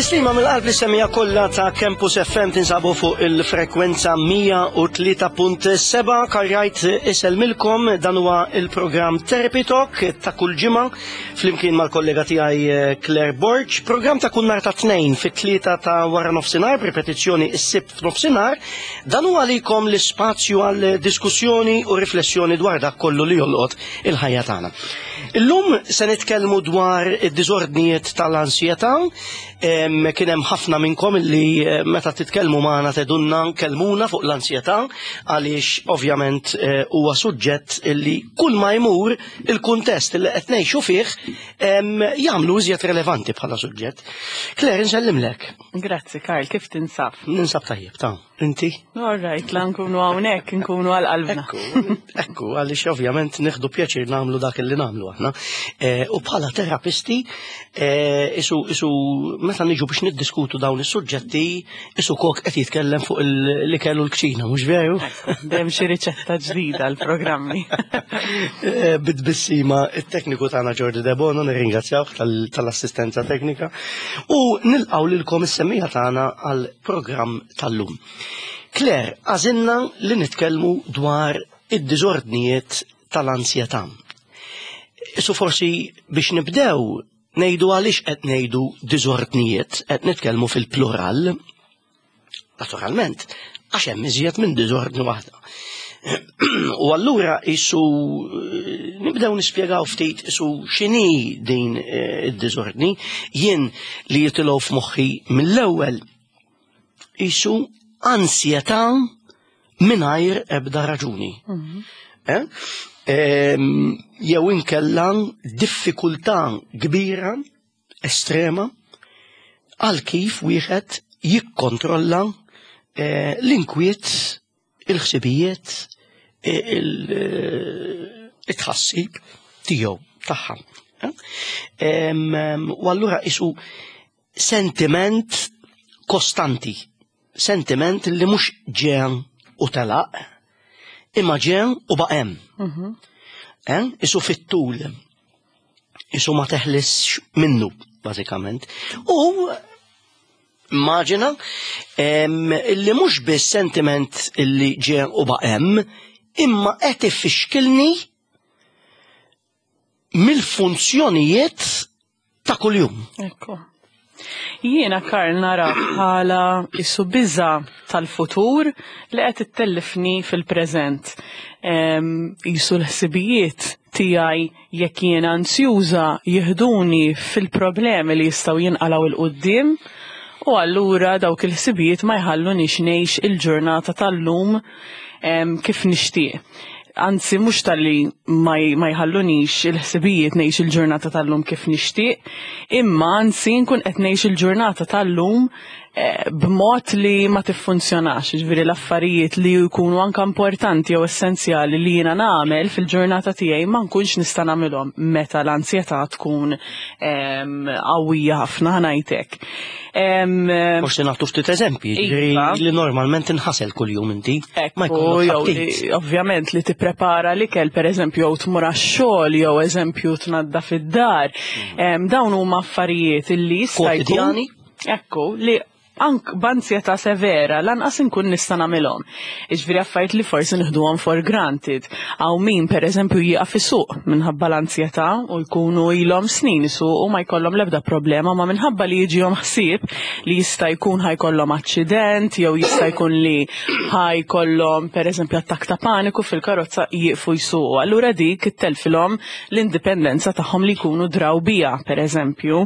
Tislima mill-qalb li semija kollha ta' Campus FM tinsabu fuq il-frekwenza 103.7 karjajt iselmilkom dan huwa il-programm Therapy Talk ta' kull ġimgħa flimkien mal-kollega tiegħi eh, Claire Borg, programm ta' kull nhar ta' tnejn fit-tlieta ta' wara nofsinhar b'ripetizzjoni s-sibt f'nofsinhar, dan huwa għalikom l-ispazju għal diskussjoni u riflessjoni dwar dak kollu li jolqot il-ħajja tagħna. Illum se nitkellmu dwar id-diżordnijiet tal-ansjetà. Kien hemm ħafna minnkom li eh, meta titkellmu magħna tedunna nkellmuna fuq l-ansjetà għaliex ovvjament eh, huwa suġġett li kull ma jmur il-kuntest li qed ngħixu fih jagħmlu iżjed relevanti bħala suġġett. Claire, nsellimlek. Grazzi Karl, kif tinsab? Ninsab tajjeb ta' Inti? All right, la nkunu hawnhekk, nkunu għal qalbna. Ekku, ekku, għaliex ovvjament nieħdu pjaċir nagħmlu dak li nagħmlu aħna. Eh, u bħala terapisti, eh, isu, isu meta niġu biex niddiskutu dawn is-suġġetti, isu kok qed jitkellem fuq l-ikel u l-kċina, mhux veru? Dejjem xi riċetta ġdida l-programmi. Eh, Bit-tbissima it-tekniku tagħna Jordi Debono nirringrazzjawh tal-assistenza teknika u nilqgħu lilkom is-semmija tagħna għal programm tal-lum. Claire, għażilna li nitkellmu dwar id-diżordnijiet tal-ansjetà. Isu forsi biex nibdew ngħidu għaliex qed ngħidu diżordnijiet, qed nitkellmu fil-plural. Naturalment, għax hemm iżjed minn diżordni waħda. U allura isu nibdew nispjegaw ftit isu x'inhi din eh, id-diżordni, jien li jitilgħu f'moħħi mill-ewwel isu ansjetà mingħajr ebda raġuni. Mhm. Eh? Ehm, jew inkella diffikultà kbira, estrema, għal kif wieħed jikkontrolla eh, l-inkwiet il-ħsibijiet, il-tħassib tiegħu tagħha. U allura isu sentiment kostanti, sentiment li mhux ġen u telaq, imma ġen u baqem. Mhm. Eh? Isu fit-tul, isu ma teħlisx minnu, bażikament. U Immaġina illi mhux biss sentiment illi ġie u baqem, imma qed ifixkilni mill-funzjonijiet ta' kuljum. Ekku. Jiena Karl nara bħala isu biża tal-futur li qed ittellifni fil-preżent. Isu l-ħsibijiet tiegħi jekk jiena anzjuża jiħduni fil-problemi li jistgħu jinqalgħu 'l quddiem u allura dawk il-ħsibijiet ma jħallunix ngħix il-ġurnata tal-lum kif nixtieq. Anzi mhux talli ma jħallunix il-ħsibijiet ngħix il-ġurnata tal-lum kif nixtieq, imma anzi nkun qed ngħix il-ġurnata tal-lum Eh, b'mod li ma tiffunzjonax, ġifieri l-affarijiet li jkunu anka importanti jew essenzjali li jiena nagħmel fil-ġurnata tiegħi ma nkunx nista' nagħmilhom meta l-ansjetà tkun ehm, qawwija ħafna ħanajtek. Ehm, Forsi nagħtu ftit eżempji, ġifieri iva. li normalment inħasel kuljum inti. Ma jkollok ovvjament li tipprepara l-ikel pereżempju jew tmur għax-xogħol jew eżempju tnadda fid-dar. Mm. Ehm, dawn huma affarijiet illi jista' jkun Ekku, li ank b'anzjetà severa lanqas inkun nista' nagħmilhom. Jiġifieri affarijiet li forsi nieħduhom for granted. Hawn min pereżempju jieqaf isuq minħabba l-anzjetà u jkunu ilhom snin isuqu ma jkollhom l-ebda problema ma minħabba li jiġihom ħsieb li jista' jkun ħajkollhom aċċident jew jista' jkun li ħajkollhom pereżempju attakk ta' paniku fil-karozza jieqfu jsuqu. Allura dik ittelfilhom l-indipendenza tagħhom li jkunu draw bija, pereżempju.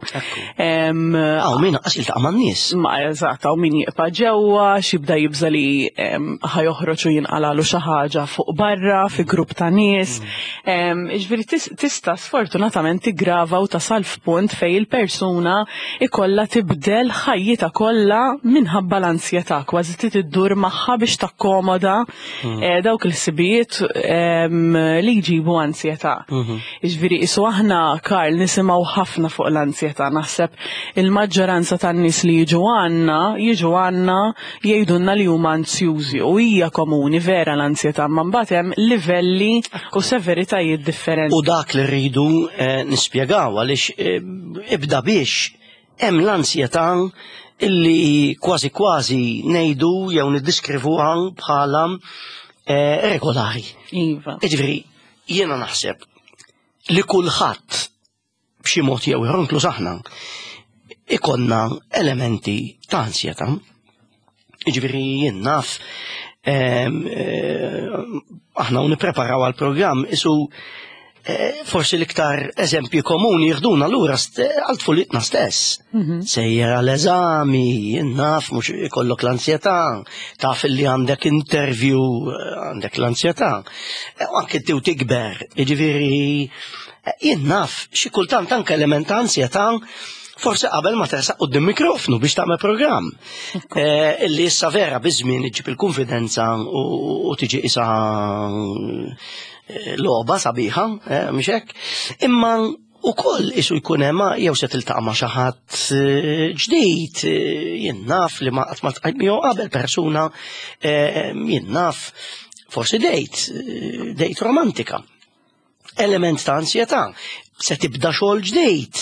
Hawn min qas jiltaqa' man-nies. Ma eżatt, hawn min jibqa' ġewwa, x'jibda jibża li ħajoħroġ u jinqalalu xi ħaġa fuq barra fi grupp ta' nies. Mm. Ġifieri tista' sfortunatament tiggrava u tasal f'punt fejn il-persuna ikollha tibdel ħajjitha kollha minħabba l-ansjetà, kważi trid iddur magħha biex takkomoda mm. eh, dawk il-ħsibijiet li jġibu ansjetà. Mhm. Jiġifieri isu aħna Karl nisimgħu ħafna fuq l-ansjetà, naħseb il-maġġoranza tan-nies li jiġu għandna, jiġu għandna jgħidulna li huma anzjużi u hija komuni vera l-ansjetà, ma mbagħad hemm livelli u severitajiet differenti. U dak li rridu eh, nispjegaw għaliex eh, ibda biex Hemm l-ansjetà illi kważi kważi ngħidu jew niddiskrivuha bħala eh, regolari. Iva. Jiġifieri, jiena naħseb li kulħadd b'xi mod jew ieħor inkluż aħna ikonna elementi ta' ansjetà. Jiġifieri jien naf eh, aħna u nippreparaw għall-programm isu eh, forsi l-iktar eżempji komuni jihduna lura għal tfulitna stess. Mhm. Sejjer għal eżami, naf mhux ikollok l-ansjetà, taf li għandek interview, eh, għandek l-ansjetà. U anke tiw tikber, jiġifieri jien naf xi kultant anke element ta' ansjetà forsi qabel ma tersaq quddiem mikrofnu biex tagħmel programm. Eh, illi issa vera biż-żmien iġġib il-konfidenza u tiġi isa eh, logħba sabiħa, eh, mhux hekk. Imma ukoll isu jkun hemm jew se tiltaqa' ma' xi ħadd ġdid, jien naf li ma qatt ma tqajt miegħu qabel persuna jien naf forsi dejt, dejt romantika. Element ta' ansjetà. Se tibda xogħol ġdid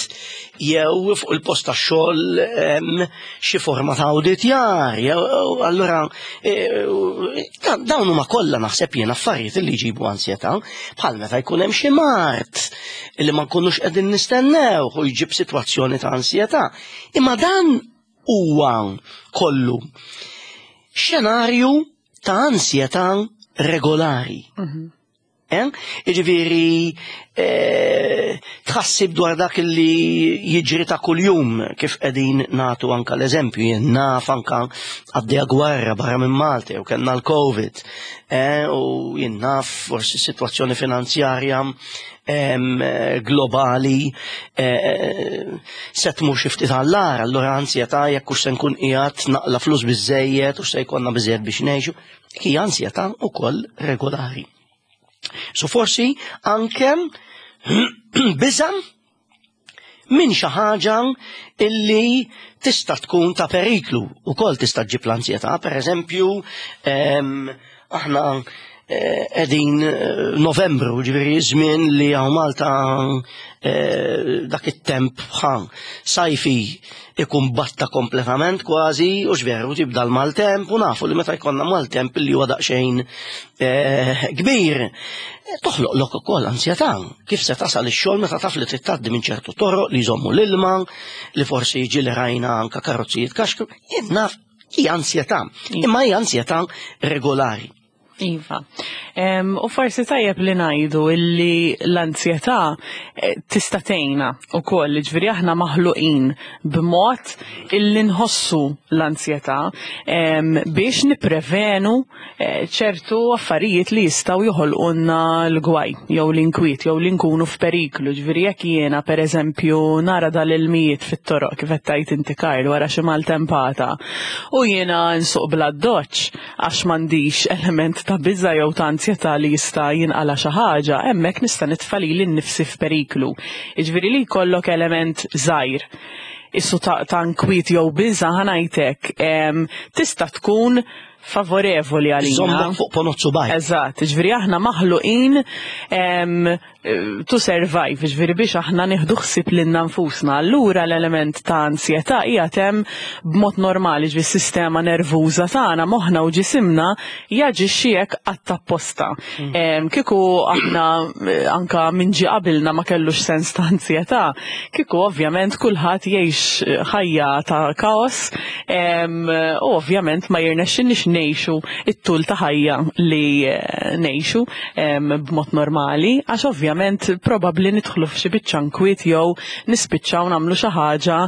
jew fuq il-post tax-xogħol xi forma ta' awditjar, jew allura e, dawn huma kollha naħseb jien affarijiet li jġibu ansjetà bħal meta jkun hemm xi mard li ma nkunux qegħdin nistennew u jġib sitwazzjoni ta' ansjetà. Imma dan huwa kollu xenarju ta' ansjetà regolari. Mhm. Eh? Jiġifieri eh, tħassib dwar dak li jiġri ta' kuljum kif qegħdin nagħtu anka l-eżempju jien naf anka għaddejja gwerra barra minn Malta jew kellna l-Covid eh, u jien naf forsi sitwazzjoni finanzjarja globali se tmur xi ftit għall-agħar, allura ansjetà jekk hux se nkun qiegħed naqla flus biżejjed u se jkollna biżejjed biex ngħixu. Hija ansjetà wkoll regolari. So forsi anke biża' minn xi ħaġa illi tista' tkun ta' periklu ukoll tista' ġġib l-ansjetà, pereżempju aħna eh, qegħdin eh, Novembru, ġifieri żmien li hawn Malta eh, dak it-temp ħa sajfi ikun batta kompletament kważi u x'veru tibda l-maltemp u nafu li meta jkollna maltemp li huwa daqsxejn eh, kbir toħloq lok ukoll ansjetà kif se tasal ix-xogħol meta taf li trid tgħaddi minn ċertu toroq li jżommu l-ilma li forsi jiġi li rajna anka karozzi jitkaxkru jien naf hija ansjetà imma hija ansjetà regolari. Iva. U forsi tajjeb li ngħidu illi l-anzjetà eh, tista' tgħinna wkoll, ġifieri aħna maħluqin b'mod illi nħossu l-anzjetà biex nipprevenu eh, ċertu affarijiet li jistgħu joħolqulna l-gwaj jew l-inkwiet jew li nkunu f'periklu. Ġifieri jekk jiena pereżempju nara dal-ilmijiet fit-toroq kif qed tgħid inti Karl wara xi maltempata u jiena nsuq bl-addoċċ għax m'għandix element ta' biża' jew ta' anzjetà li jista' jinqala' xi ħaġa, hemmhekk nista' nitfa' lili nnifsi f'periklu. Jiġifieri li jkollok element żgħir issu ta', ta nkwiet jew biża' ħa ngħid hekk, tista' tkun favorevoli għalina. Żommok fuq ponozzu bajt. Eżatt, ġifieri aħna maħluqin to survive, ġifieri biex aħna nieħdu ħsieb lilna nfusna. Allura l-element ta' ansjetà qiegħed hemm b'mod normali, ġifieri s-sistema nervuża tagħna, moħħna u ġisimna jaġixxi hekk qatt apposta. Mm. Kieku aħna eh, anka minn ġie qabilna ma kellux sens ta' ansjetà, kieku ovvjament kulħadd jgħix eh, ħajja ta' kaos u ovvjament ma jirnexxinniex ngħixu it-tul ta' ħajja li eh, ngħixu b'mod normali, għax ovvjament probabbli nidħlu f'xi biċċa nkwiet jew nispiċċaw nagħmlu xi ħaġa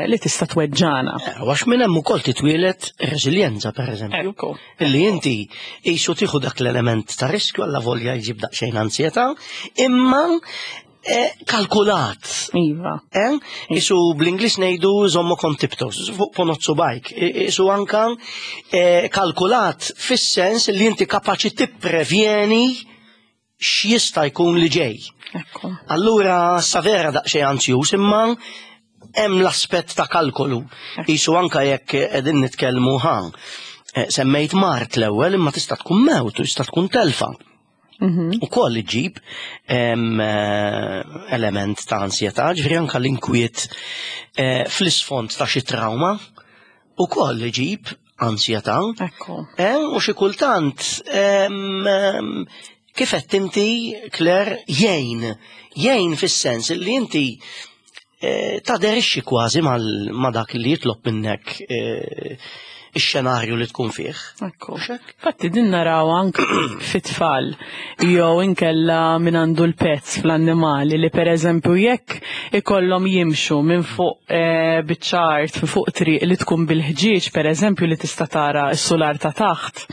li tista' tweġġana. Eh, għax minn hemm ukoll titwielet reżiljenza pereżempju. Ekku. Illi inti qisu tieħu dak l-element ta' riskju alla volja jġib daqsxejn ansjetà, imma Eh, kalkulat. Iva. Eh? Isu bl-Inglis nejdu zommo kontiptos, fuq ponozzu bajk. Isu anka eh, kalkulat fis-sens li inti kapaċi tipprevjeni x'jista' jkun li ġej. Allura sa vera daqsxejn anzjuż imma hemm l-aspett ta' kalkolu. Isu anka jekk qegħdin nitkellmu ħan. Semmejt mart l-ewwel imma tista' tkun mewt u tista' tkun telfa. Ukoll iġib element ta' ansjetà, ġifieri anke l-inkwiet fl-isfond ta' xi trauma ukoll iġib ansjetà. Ekku. U xi kultant kif qed inti, Claire, jgħin, jgħin fis-sens li inti taderixxi kważi ma' dak li jitlob minnek ix-xenarju li tkun fih. Ekku. Fatti din naraw anke fit-tfal jew inkella min għandu l-pets fl-annimali li pereżempju jekk ikollhom jimxu minn fuq biċċa art fuq triq li tkun bil-ħġieġ pereżempju li tista' tara s-sular ta' taħt.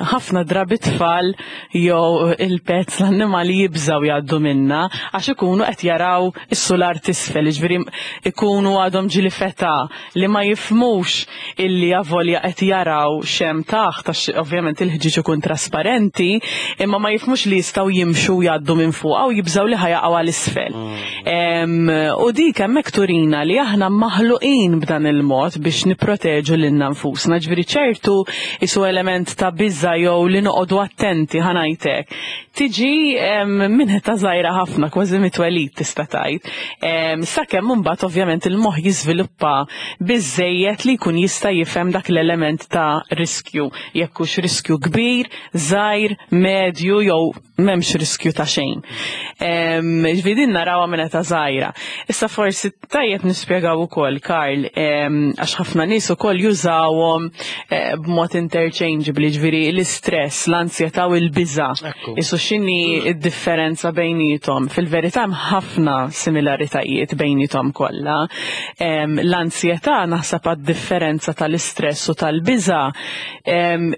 Ħafna drabi tfal jew il-pets l-annimali jibżaw jgħaddu minna għax ikunu qed jaraw is-sular t'isfel, jiġifieri ikunu għadhom ġieli feta li ma jifhmux illi avolja qed jaraw x'hemm taħt għax ovvjament il-ħġieġ ikun trasparenti, imma ma jifhmux li jistgħu jimxu jgħaddu minn fuqha u jibżgħu li ħa jaqgħu għal isfel. U dik hemmhekk turina li aħna maħluqin b'dan il-mod biex nipproteġu lilna nfusna, ġifieri ċertu isu element ta' biża' jew li noqogħdu attenti ħa ngħidlek. Tiġi minn età żgħira ħafna, kważi mit-twelid tista' tgħid. Sakemm imbagħad ovvjament il-moħħ jiżviluppa biżżejjed li jkun jista' jifhem dak l-element ta' riskju, jekk hux riskju kbir, żgħir, medju jew m'hemmx riskju ta' xejn. Ġifieri din narawha minn età żgħira. Issa forsi tajjeb nispjegaw ukoll, Karl, għax ħafna nies ukoll jużawhom b'mod interchangeably, ġifieri l-istress, l-ansjetà u l-biża'. Isu x'inhi d-differenza bejniethom? Fil-verità hemm ħafna similaritajiet bejniethom kollha. L-ansjetà naħseb għad-differenza tal-istress u tal-biża'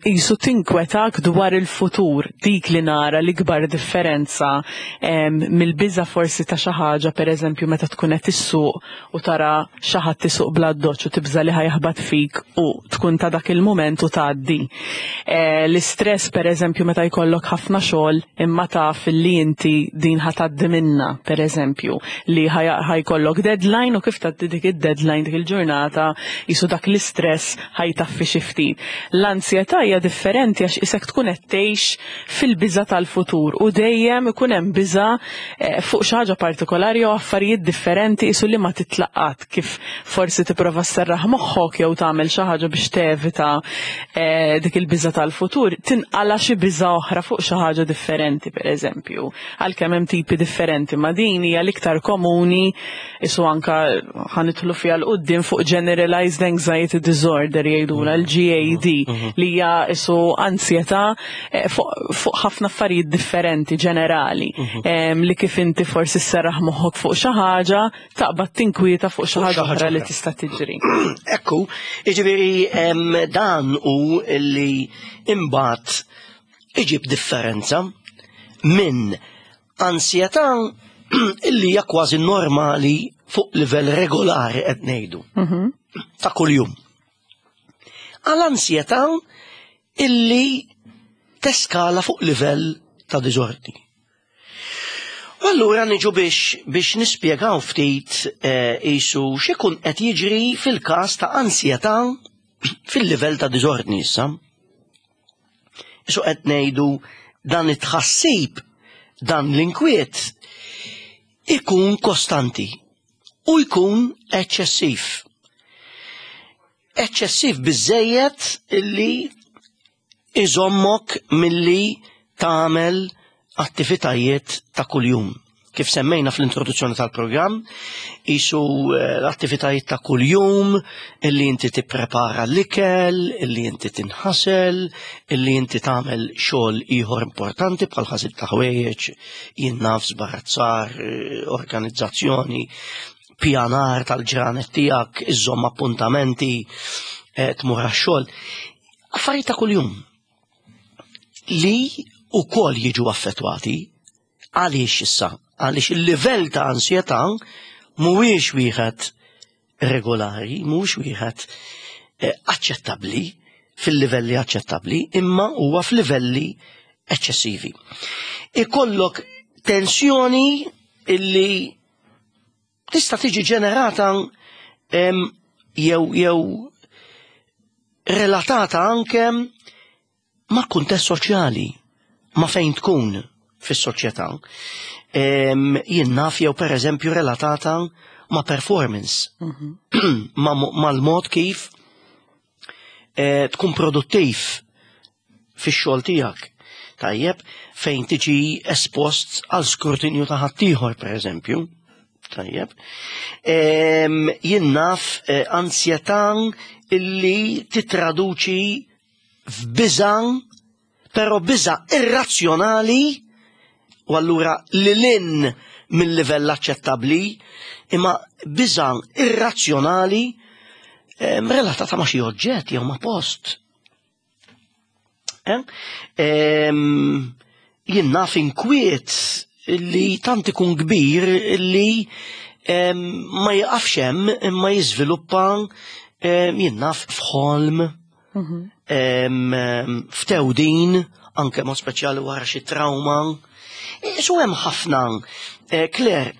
qisu tinkwetak dwar il-futur, dik li nara l-ikbar differenza mill-biża' forsi ta' xi ħaġa, pereżempju meta tkun qed issuq u tara xi ħadd isuq bla doċċ u tibża' li ħa jaħbat fik u tkun ta' dak il-mument u tgħaddi. L-istress pereżempju meta jkollok ħafna xogħol imma taf li inti din ħa tgħaddi minnha, pereżempju, li ħa jkollok deadline u kif tgħaddi dik id-deadline dik il-ġurnata qisu dak l-istress ħa jtaffi xi ftit. L-ansjetà hija differenti għax isek tkun qed tgħix fil-biża' tal-futur u dejjem ikun hemm biża' fuq xi ħaġa partikolari jew affarijiet differenti qisu li ma titlaq qatt, kif forsi tipprova sserraħ moħħok jew tagħmel xi ħaġa biex tevita dik il-biża' tal-futur, tinqala' xi biża' oħra fuq xi ħaġa differenti pereżempju. Għalkemm hemm tipi differenti, ma din hija l-iktar komuni isu anka ħa nidħlu fiha 'l quddiem fuq Generalized Anxiety Disorder jgħidulha l-GAD li hija isu ansjetà fuq ħafna affarijiet differenti ġenerali li kif inti forsi sserraħ moħħok fuq xi ħaġa taqbad tinkwieta fuq xi ħaġa oħra li tista' tiġri. Ekku, jiġifieri dan hu li imbagħad iġib differenza minn ansjetà illi hija kważi normali fuq livell regolari qed ngħidu. Ta' kuljum. Għal ansjetà illi teskala fuq livell ta' diżordni. U allura niġu biex nispjegaw ftit qisu x'ikun qed jiġri fil-każ ta' ansjetà fil-livell ta' diżordni issa. Isu qed ngħidu dan it-tħassib, dan l-inkwiet ikun kostanti u jkun eċċessiv. Eċċessiv biżżejjed illi iżommok milli tagħmel attivitajiet ta' kuljum. Kif semmejna fl-introduzzjoni tal-programm, isu l-attivitajiet ta' kuljum, illi inti tipprepara l-ikel, illi inti tinħasel, illi inti tagħmel xogħol ieħor importanti bħal ħasil ta' ħwejjeġ, jien naf żbarazzar, organizzazzjoni, pjanar tal-ġranet tiegħek, iżżomm appuntamenti, tmur għax-xogħol. Affarijiet ta' kuljum li wkoll jiġu affettwati. Għaliex issa? Għaliex il-livell ta' ansjetà mhuwiex wieħed regolari, mhuwiex wieħed aċċettabbli fil-livelli aċċettabbli, imma huwa f'livelli eċċessivi. Ikollok tensjoni illi tista' tiġi ġenerata jew relatata anke ma' kuntest soċjali, ma' fejn tkun fis-soċjetà. Jien naf jew pereżempju relatata ma' performance, mal-mod kif eh, tkun produttiv fix-xogħol tiegħek. Tajjeb, fejn tiġi espost għal skrutinju ta' ħaddieħor pereżempju. Tajjeb. Jien naf eh, ansjetà illi titraduċi f'biża' però biża' irrazzjonali u allura lil hinn mill-livell aċċettabbli, imma biża' irrazzjonali eh, relatata ma' xi oġġett jew ma' post. Eh? Jien naf inkwiet li tant ikun kbir li ma jiqafx hemm imma jiżviluppa jien naf f'ħolm Ftewdin, anke mod speċjali wara xi trauma. Isu hemm ħafna, eh, Claire,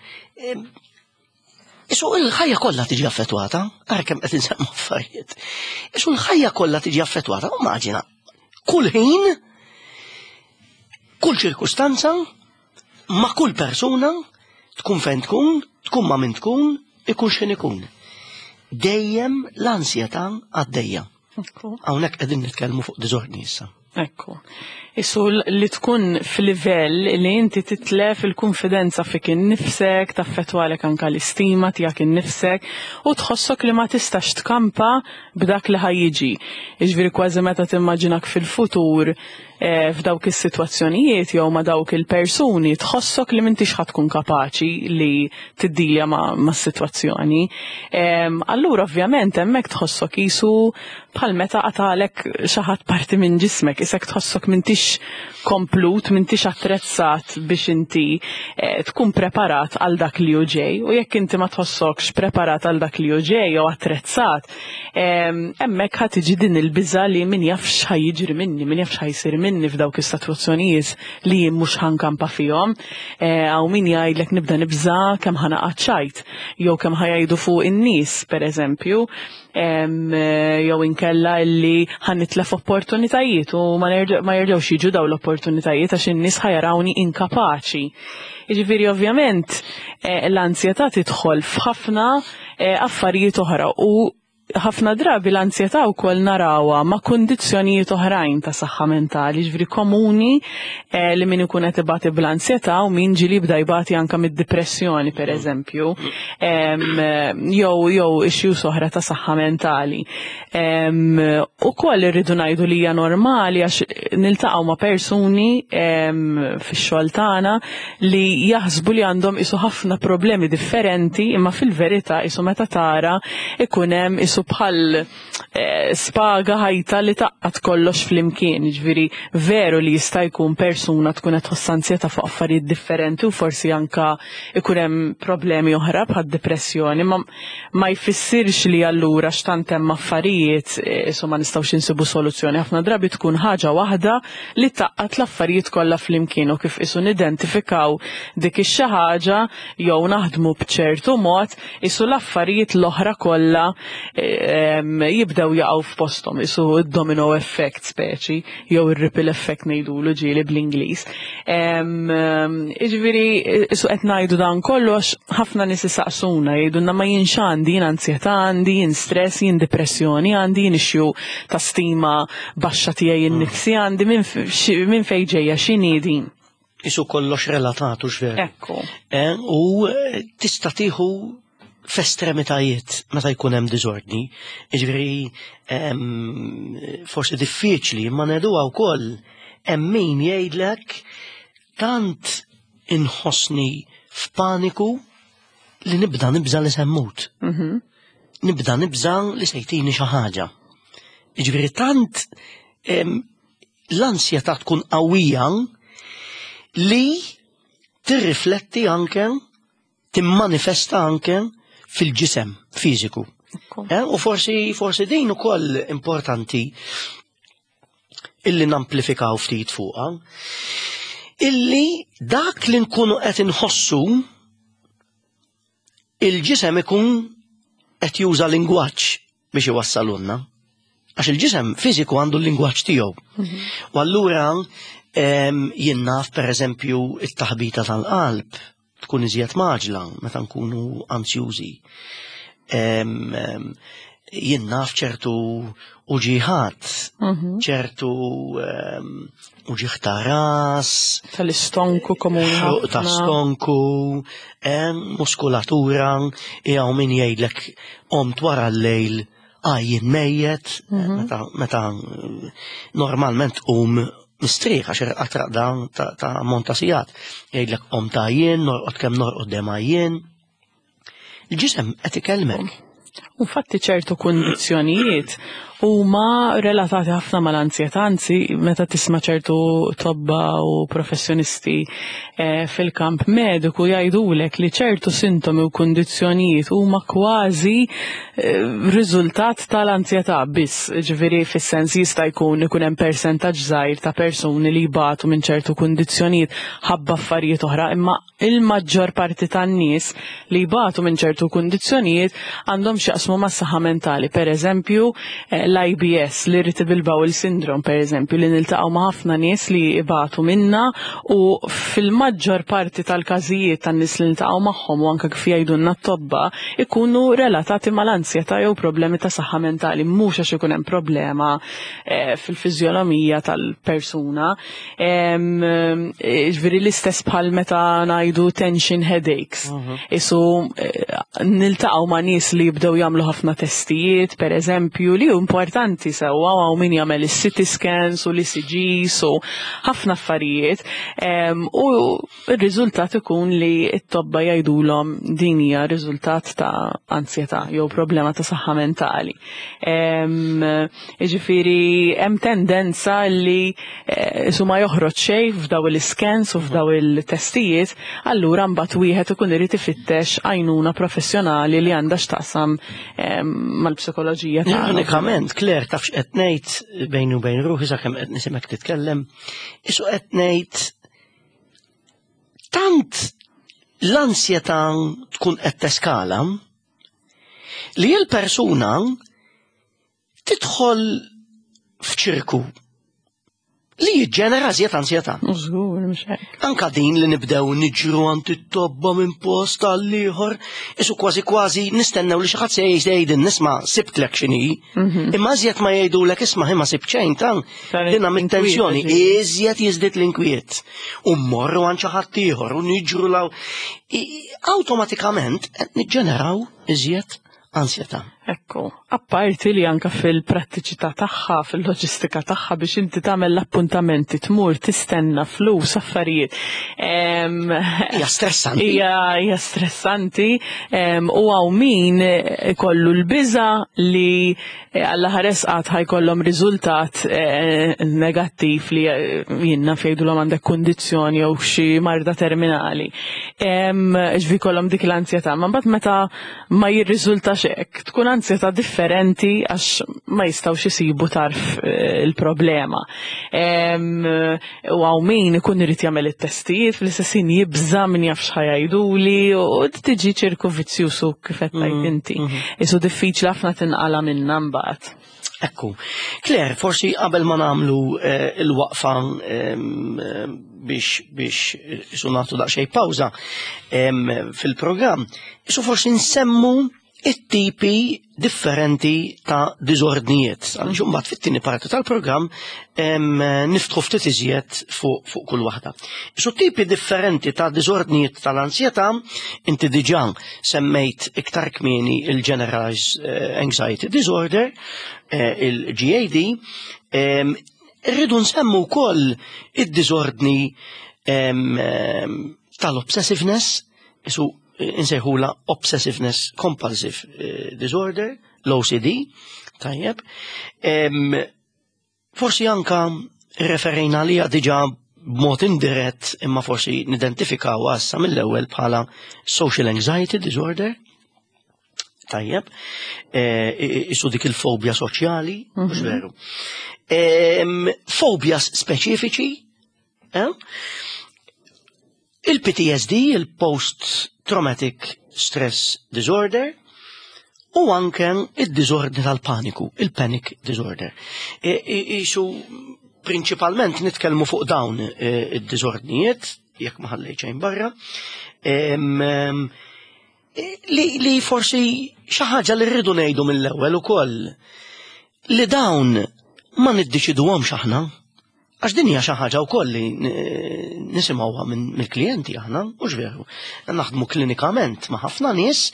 isu il-ħajja kollha tiġi affettwata, ara kemm qed insemmu affarijiet. Isu l-ħajja kollha tiġi affettwata, immaġina, kull ħin, kull ċirkustanza, ma' kull persuna, tkun fejn tkun, tkun ma' min tkun, ikun x'in ikun. Dejjem l-ansjetà għaddejja. Hawnhekk qegħdin nitkellmu fuq diżordni issa. Ekku. Isu li tkun f'livell li inti titlef il-konfidenza fik innifsek, taffettwalek anka l-istima tiegħek innifsek u tħossok li ma tistax tkampa b'dak li ħajjiġi. Jiġifieri kważi meta timmaġinak fil-futur eh, f'dawk is-sitwazzjonijiet jew ma' dawk il-persuni tħossok li m'intix ħa tkun kapaċi li tiddilja ma' sitwazzjoni. Allura ovvjament hemmhekk tħossok isu bħal meta qatalek xi ħadd parti minn ġismek, isek tħossok m'intix komplut, m'intix attrezzat biex inti eh, tkun preparat għal dak li hu ġej. U jekk inti ma tħossokx preparat għal dak li hu ġej jew attrezzat, Hemmhekk ħa tiġi din il-biża' li min jaf x'ħa jiġri minni, min jaf x'ħa jsir minni f'dawk is-sitwazzjonijiet li jien mhux ħa nkampa fihom. Eh, hawn min jgħidlek nibda nibża' kemm ħa naqgħad ċajt, jew kemm ħa jgħidu fuq in-nies, pereżempju, jew inkella illi ħa nitlef opportunitajiet u ma jerġgħux jiġu dawn l-opportunitajiet għax in-nies ħa jarawni inkapaċi. Jiġifieri ovvjament eh, l-ansjetà tidħol f'ħafna eh, affarijiet oħra u ħafna drabi l-ansjetà wkoll narawha ma' kundizzjonijiet oħrajn ta' saħħa mentali, ġifieri komuni eh, li min ikun qed ibati bl-ansjetà u min ġieli jibda jbati anke mid-dipressjoni pereżempju, jew jew issues oħra ta' saħħa mentali. Ukoll irridu ngħidu li hija normali għax niltaqgħu ma' persuni fix-xogħol tagħna li jaħsbu li għandhom isu ħafna problemi differenti imma fil-verità isu meta tara ikun hemm isu bħal eh, spaga ħajta li taqqat kollox flimkien. Ġifieri veru li jista' jkun persuna tkun qed tħoss ansjetà fuq affarijiet differenti u forsi anka ikun hemm problemi oħra bħad depressjoni, ma ma jfissirx li allura x'tant hemm affarijiet eh, isu ma nistgħux insibu soluzzjoni. Ħafna drabi tkun ħaġa waħda li tgħaqqad l-affarijiet kollha flimkien u kif qisu nidentifikaw dik ix-xi ħaġa jew naħdmu b'ċertu mod qisu l-affarijiet l-oħra kollha ehm, jibdew jaqgħu f'posthom qisu d-domino effect speċi jew ir-ripple effect ngħidulu ġieli bl-Ingliż. Ehm, jiġifieri qisu qed ngħidu dan kollu għax ħafna nies isaqsuna jgħidulna ma jienx għandi jien anzjetà għandi, jien stress, jien depressjoni għandi, jien issue ta' stima baxxa tiegħi innifsi għandi minn fejn ġejja x'inhi din. Isu kollox relatat u x'veru. Ekku. Eh, u eh, tista' tieħu f'estremitajiet meta jkun hemm diżordni. Jiġifieri ehm, forsi diffiċli imma ngħiduha wkoll hemm min jgħidlek tant inħossni f'paniku li nibda nibża li semmut. Mhm. Nibda nibża li sejtini xi ħaġa. Jiġifieri tant l-ansjetà tkun qawwija li tirrifletti anke timmanifesta anke fil-ġisem fiżiku. Eh, u forsi forsi din ukoll importanti illi namplifikaw ftit fuqha, illi dak li nkunu qed inħossu il-ġisem ikun qed juża lingwaġġ biex iwassalulna. Għax il-ġisem fiżiku għandu l-lingwaġġ tiegħu. Mhm. U allura Jien naf pereżempju it-taħbita tal-qalb tkun iżjed maġla meta nkunu ansjużi. Jien naf ċertu uġiħat, mhm. ċertu uġiħ ta' ras. Tal-istonku komuni. Ta' stonku, muskulatura, jew min jgħidlek omt wara l-lejl għajjin mejjet, mhm. meta normalment um mistrieħ għax irqad raqda ta' ammont ta' sigħat. Jgħidlek om ta' jien, norqod kemm norqod dem għajjien. Il-ġisem qed ikellmek. U fatti ċertu kundizzjonijiet huma relatati ħafna mal-anzjetà, anzi meta tisma' ċertu tobba u professjonisti eh, fil-kamp mediku jgħidulek li ċertu sintomi u kundizzjonijiet huma kważi eh, riżultat tal-anzjetà biss, ġifieri fis-sens jista' jkun ikun hemm persentaġġ żgħir ta' persuni li jbatu minn ċertu kundizzjonijiet ħabba affarijiet oħra, imma il-maġġor parti tan-nies li jbatu minn ċertu kundizzjonijiet għandhom x'jaqsmu mas-saħħa mentali. Per eżempju, eh, l-IBS, l-Irritable Bowel Syndrome, per eżempju, li niltaqgħu ma' ħafna nies li jbatu minna u fil-maġġor parti tal-każijiet tan-nies li niltaqgħu magħhom u anke kif jgħidulna t-tobba ikunu relatati mal-ansjetà jew problemi ta' saħħa mentali, mhux għax ikun hemm problema eh, fil-fiżjolomija tal-persuna. Ġviri l-istess bħal meta ngħidu tension headaches. Mhm. Isu eh, niltaqgħu ma' nies li jibdew jagħmlu ħafna testijiet, per eżempju, li hu importanti sewwa hawn min jagħmel is-CT scans u l-ECGs u ħafna affarijiet. U r-riżultat ikun li t-tobba jgħidulhom din hija riżultat ta' ansjetà jew problema ta' saħħa mentali. Jiġifieri hemm tendenza li eh, su ma joħroġ xejn f'daw il-scans u f'daw il-testijiet, allura mbagħad wieħed ikun irid ifittex għajnuna professjonali li għandha x'taqsam mal-psikoloġija tagħna. Ironikament, Claire, taf x'qed ngħid bejn u bejn ruħi sakemm qed nisimgħek titkellem, isu qed ngħid tant l-ansjetà tkun qed teskala li l-persuna tidħol f'ċirku li jiġġenera żjed ansjetà. Żgur, mhux hekk. Anka din li nibdew niġru għand it-tobba minn post għal ieħor, isu kważi kważi nistennew li xi ħadd se jgħidin nisma' sibtlek x'inhi. Mhm. Imma iżjed ma jgħidulek isma' imma sibt xejn tan dinha mit-tensjoni iżjed jiżdied l-inkwiet. U mmorru għand xi ħadd ieħor u niġru law. Awtomatikament qed niġġeneraw iżjed ansjetà. Ekku, apparti li anka fil-prattiċità tagħha, fil-loġistika tagħha biex inti tagħmel l-appuntamenti, tmur, tistenna, flus, affarijiet. Hija stressanti. Hija stressanti u hawn min ikollu l-biża li eh, alla ħares qatt ħajkollhom riżultat eh, negattiv li eh, jinnna fejdulhom għandek kundizzjoni jew xi marda terminali. Ġvi kollhom dik l-ansjetà, ma mbagħad meta ma jirriżultax hekk, tkun ansjetà differenti għax ma jistgħux isibu tarf eh, il-problema. U hawn min ikun irid jagħmel it-testijiet fl-istess ħin jibża' min jaf x'ħajajduli u tiġi ċirku vizzjusu kif qed tgħid mm, inti. Mm-hmm. Isu diffiċli ħafna tinqala minnha mbagħad. Ekku. Claire, forsi qabel ma nagħmlu eh, il-waqfa biex biex eh, isu nagħtu daqsxejn pawża fil-programm, isu forsi nsemmu it-tipi differenti ta' diżordnijiet. Għaliex imbagħad fit-tieni parti tal-programm niftħu ftit iżjed fuq fu kull waħda. Isu tipi differenti ta' diżordnijiet tal-ansjetà inti diġà semmejt iktar kmieni il-Generalized eh, Anxiety Disorder, eh, il-GAD, irridu nsemmu wkoll id-diżordni tal-obsessiveness, isu eh, insejħula Obsessiveness Compulsive Disorder, l-OCD, tajjeb. Forsi anka referejna li diġa b'mod indirett imma forsi nidentifikaw issa mill-ewwel bħala social anxiety disorder. Tajjeb, eh, isu dik il-fobja soċjali, mhux mhm. veru. Fobjas speċifiċi, eh? Il-PTSD, il-Post Traumatic Stress Disorder, u anke id-diżordni tal-paniku, il-Panic Disorder. Isu prinċipalment nitkellmu fuq dawn eh, id-diżordnijiet, jekk ma ħallejt xejn barra, li, li forsi xi ħaġa li rridu ngħidu mill-ewwel ukoll li dawn ma niddeċiduhomx aħna. Għax din hija xi ħaġa wkoll li nisimgħuha mill-klijenti aħna, mhux veru. Naħdmu klinikament ma' ħafna nies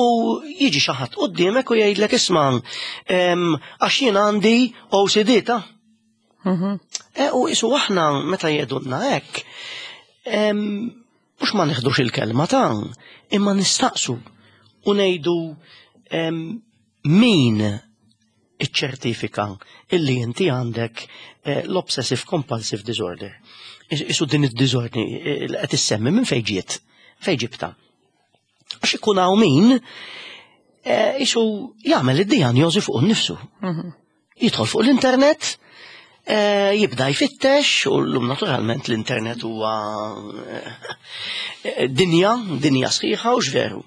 u jiġi xi ħadd quddiemek u jgħidlek isma' għax jien għandi OCD ta'. Mhm. E, u isu aħna meta jgħidulna hekk, mhux ma neħdux il-kelma ta' imma nistaqsu u ngħidu min iċċertifika illi inti għandek eh, l-obsessive compulsive disorder. Isu din id-diżordni eh, li qed issemmi minn fejn ġiet, fejn ġibta. Għax ikun hawn min eh, isu jagħmel id-dijanjosi fuq innifsu. Mhm. Jidħol fuq l-internet, jibda jfittex u llum naturalment l-internet huwa dinja, dinja sħiħa u x'veru.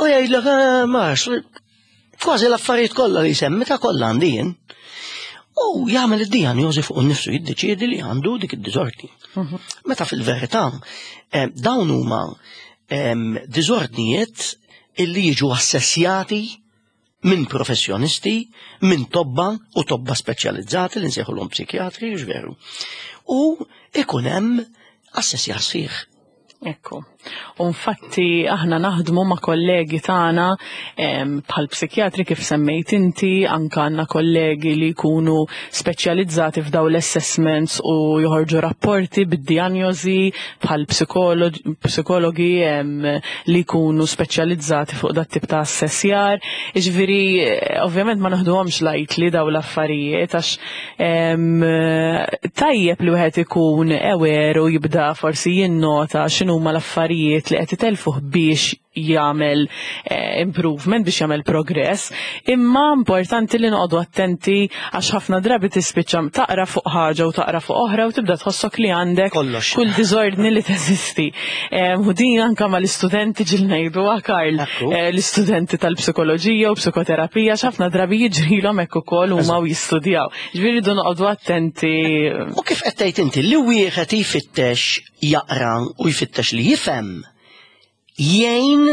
U jgħidlek ma Kważi l-affarijiet kollha li jsemmi ta' kollha għandi jien. U jagħmel id-dijanjosi fuq innifsu jiddeċiedi li għandu dik id-diżordni. Mhm. Meta fil-verità eh, dawn huma ehm, diżordnijiet illi jiġu assessjati minn professjonisti, minn tobba u tobba speċjalizzati li nsejħulhom psikjatri, veru. U ikun hemm assessjar sħiħ. Ekku. U infatti aħna naħdmu ma' kollegi tagħna bħal psikjatri kif semmejt inti, anka għandna kollegi li jkunu speċjalizzati f'daw l-assessments u joħorġu rapporti bid-dijanjosi bħal psikologi li jkunu speċjalizzati fuq dat tip ta' assessjar. Jiġifieri ovvjament ma naħduhomx lightly daw l-affarijiet għax Tajjeb li wieħed ikun aware u jibda forsi jinnota x'inhuma l-affarijiet li qed itelfuh biex jagħmel eh, improvement biex jagħmel progress, imma importanti li noqogħdu attenti għax ħafna drabi tispiċċa taqra fuq ħaġa u taqra fuq oħra u tibda tħossok li għandek kull diżordni li teżisti. U din anka mal-istudenti ġil ngħidu Karl, eh, l-istudenti tal-psikoloġija u psikoterapija x'ħafna drabi jiġrilhom hekk ukoll huma u jistudjaw. Ġifieri rridu noqogħdu attenti. U kif qed tgħid inti li wieħed jfittex jaqra u jfittex li jifhem jgħin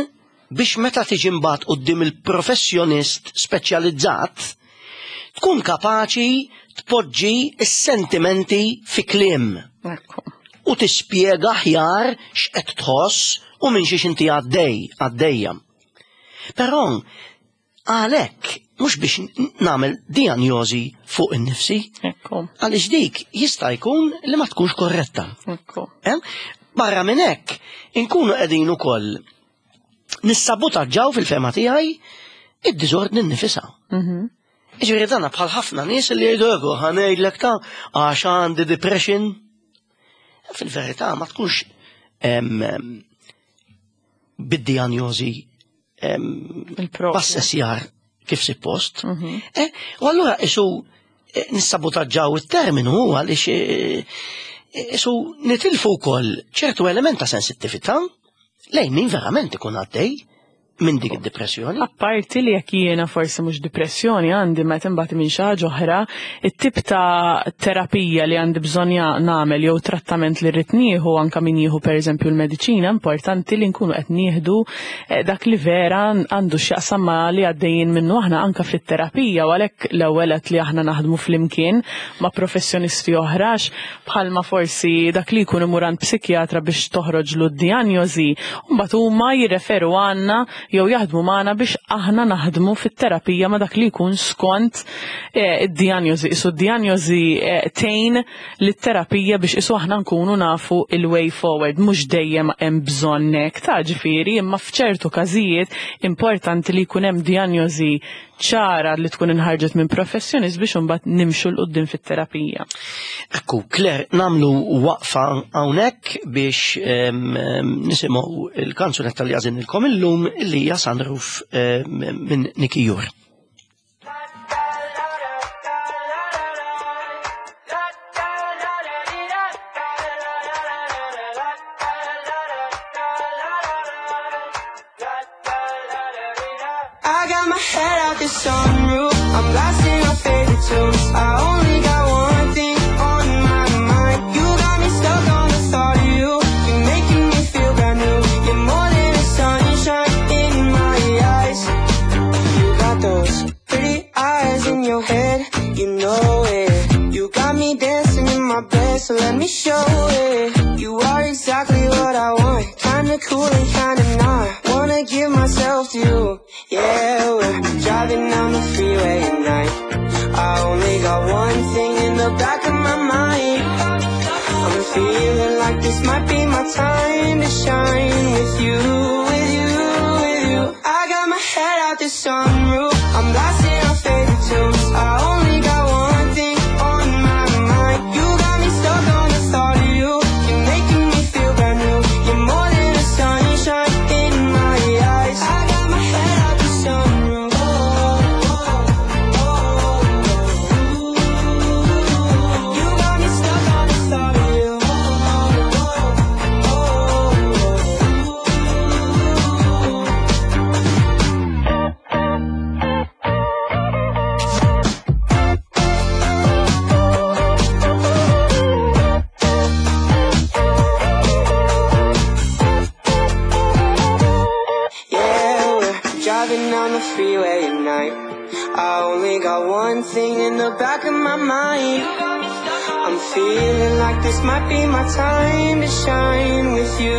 biex meta tiġi mbagħad quddiem il-professjonist speċjalizzat tkun kapaċi tpoġġi s-sentimenti fi kliem. U tispjega aħjar x'qed tħoss u minn xiex inti għaddej, għaddejja. Però għalhekk mhux biex nagħmel dijanjosi fuq innifsi. Għaliex dik jista' jkun li ma tkunx korretta. Eh? Barra minn hekk, inkunu qegħdin ukoll nissabutaġġaw fil-fema tiegħi id-diżordni nnifisha. Mhm. Ġifieri dana bħal ħafna nies li jgħidu ego ħa ngħidlek ta' għax għandi depression. Fil-verità ma tkunx bid-dijanjosi b'assessjar kif suppost. Mhm. Eh, u allura isu eh, nissabutaġġaw it-terminu għaliex eh, isu nitilfu wkoll ċertu element ta' sensittività lejn min verament ikun għaddej minn dik id-depressjoni. Apparti li jekk jiena forsi mhux depressjoni għandi meta imbagħad minn xi ħaġa oħra, it-tip ta' terapija li għandi bżonn nagħmel jew trattament li rrid nieħu anke min jieħu pereżempju l-mediċina importanti li nkunu qed nieħdu eh, dak li vera għandu x'jaqsam ma li għaddejjin minnu aħna anke fit-terapija u għalhekk l-ewwel li aħna naħdmu flimkien ma' professjonisti oħra bħalma forsi dak li jkun imur għand psikjatra biex toħroġlu d-dijanjosi, u mbagħad huma jirreferu għandna jew jaħdmu magħna biex aħna naħdmu fit-terapija ma' dak li jkun skont eh, id-dijanjosi. Isu d-dijanjosi eh, tgħin lit-terapija biex isu aħna nkunu nafu il-way forward, mhux dejjem hemm bżonn hekk ta' ġifieri, imma f'ċertu każijiet importanti li jkun hemm dijanjosi ċara li tkun inħarġet minn professjonist biex imbagħad nimxu 'l quddiem fit-terapija. Ekku, Claire, nagħmlu waqfa hawnhekk biex nisimgħu il-kanzunetta li għażilnilkom illum li hija Sunroof minn Nicky Jur. I got my head out the sunroof. I'm blasting my favorite tunes. I only got one thing on. dancing in my bed, so let me show it. You are exactly what I want. Kinda cool and kinda not. Wanna give myself to you. Yeah, we're driving down the freeway at night. I only got one thing in the back of my mind. I'm feeling like this might be my time to shine with you, with you, with you. I got my head out the sunroof. I'm blasting our favorite tunes. I only got one thing on my mind. You got me stuck on the thought of you. You're making me feel brand new. You're more than a sunshine in my eyes. I got my head out the sunroof. You got me stuck on the thought of you. Yeah, we're driving down the freeway at night. I only got one thing in the back of my mind. I'm feeling like this might be my time to shine with you,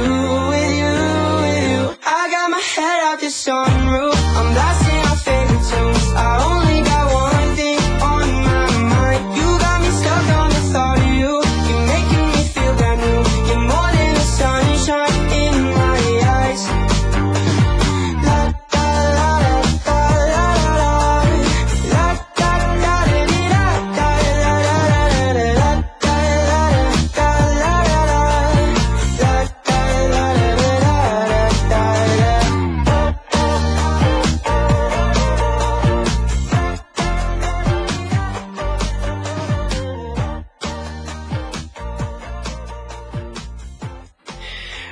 with you, with you. I got my head out the sunroof. I'm blasting our favorite tunes. I only got one thing on my mind. You got me stuck on the thought of you. You're making me feel brand new. You're more than a sunshine in my eyes. La da la da la la la la da da da da da la la la la la da la da la la la la da la la la da da.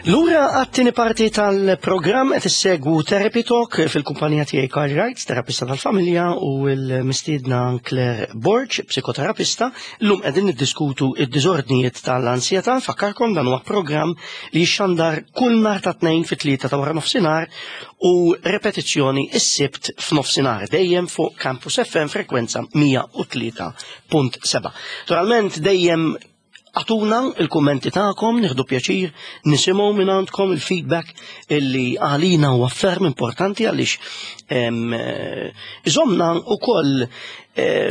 Lura għat-tieni parti tal-programm qed issegwu Therapy Talk fil-kumpanija tiegħi Karl Wright, terapista tal-familja, u l-mistiedna Claire Borg, psikoterapista. Llum qegħdin niddiskutu id-diżordnijiet tal-ansjetà. Nfakkarkom dan huwa programm li jixxandar kull nhar ta' tnejn fit-3 ta' wara nofsinhar u repetizzjoni s-Sibt f'nofsinhar dejjem fuq Campus FM frekwenza 103.7. Naturalment dejjem agħtuna il-kummenti tagħkom, nieħdu pjaċir nisimgħu minn għandkom il-feedback illi għalina huwa ferm importanti għaliex iżomna wkoll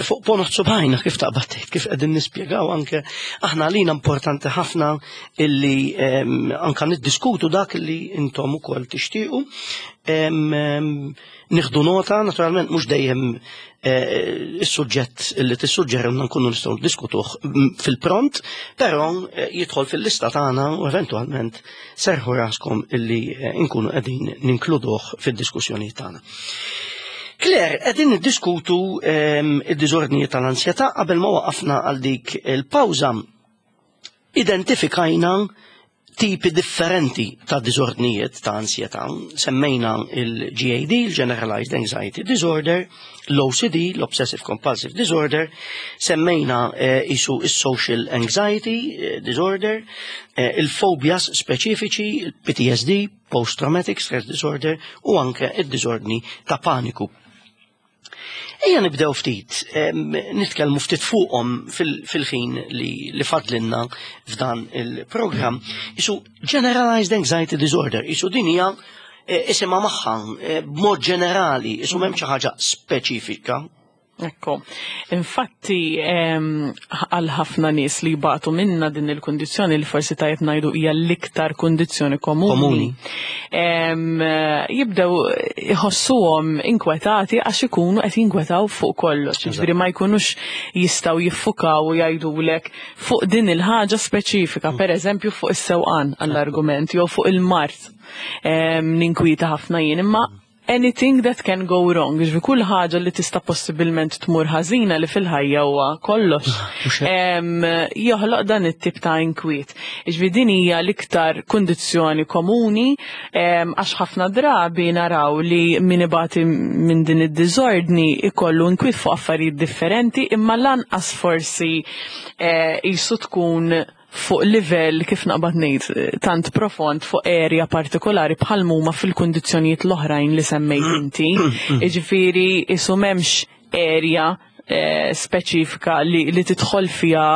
fuq ponot subgħajna kif taqbad tgħid, kif qegħdin nispjegaw anke aħna għalina importanti ħafna illi anke niddiskutu dak li intom ukoll tixtiequ. Nieħdu nota, naturalment mhux dejjem is-suġġett li tissuġġerilna nkunu nistgħu niddiskutuh fil-pront, però jidħol fil-lista tagħna u eventwalment serħu raskom illi nkunu qegħdin ninkluduh fid-diskussjoni tagħna. Claire, qegħdin niddiskutu id-diżordnijiet tal-ansjetà. Qabel ma waqafna għal dik il-pawża, identifikajna tipi differenti ta' diżordnijiet ta' ansjetà. Semmejna il-GAD, il-Generalized Anxiety Disorder, l-OCD, l-Obsessive Compulsive Disorder, semmejna isu il-Social Anxiety Disorder, il-phobias speċifiċi, il-PTSD, Post-Traumatic Stress Disorder, u anke il-diżordni ta' paniku. Ejja nibdew ftit, nitkellmu ftit fuqhom fil-ħin li fadlinna f'dan il-programm. Isu Generalized Anxiety Disorder, isu din hija isimha magħha b'mod ġenerali, isu m'hemm xi ħaġa speċifika. Ekku, infatti għal ħafna nies li jbatu minna din il-kundizzjoni li forsi tajjeb ngħidu hija l-iktar kundizzjoni komuni. Komuni. Jibdew iħossuhom inkwetati għax ikunu qed jinkwetaw fuq kollox. Jiġifieri ma jkunux jistgħu jiffukaw u jgħidulek fuq din il-ħaġa speċifika, per eżempju fuq is-sewqan għall-argument jew fuq il-mard. Ninkwita ħafna jien, imma anything that can go wrong, ġifieri kull ħaġa li tista' possibilment tmur ħażina li fil-ħajja huwa kollox. Mhux hekk. Joħloq dan it-tip ta' inkwiet. Ġifieri din hija l-iktar kundizzjoni komuni, għax ħafna drabi naraw li min ibati minn din id-diżordni ikollu inkwiet fuq affarijiet differenti, imma lanqas forsi jisu tkun fuq livell, kif naqbad ngħid, tant profond fuq area partikolari bħal mhuma fil-kundizzjonijiet l-oħrajn li semmejt inti. Jiġifieri isu m'hemmx area. speċifika li tidħol fiha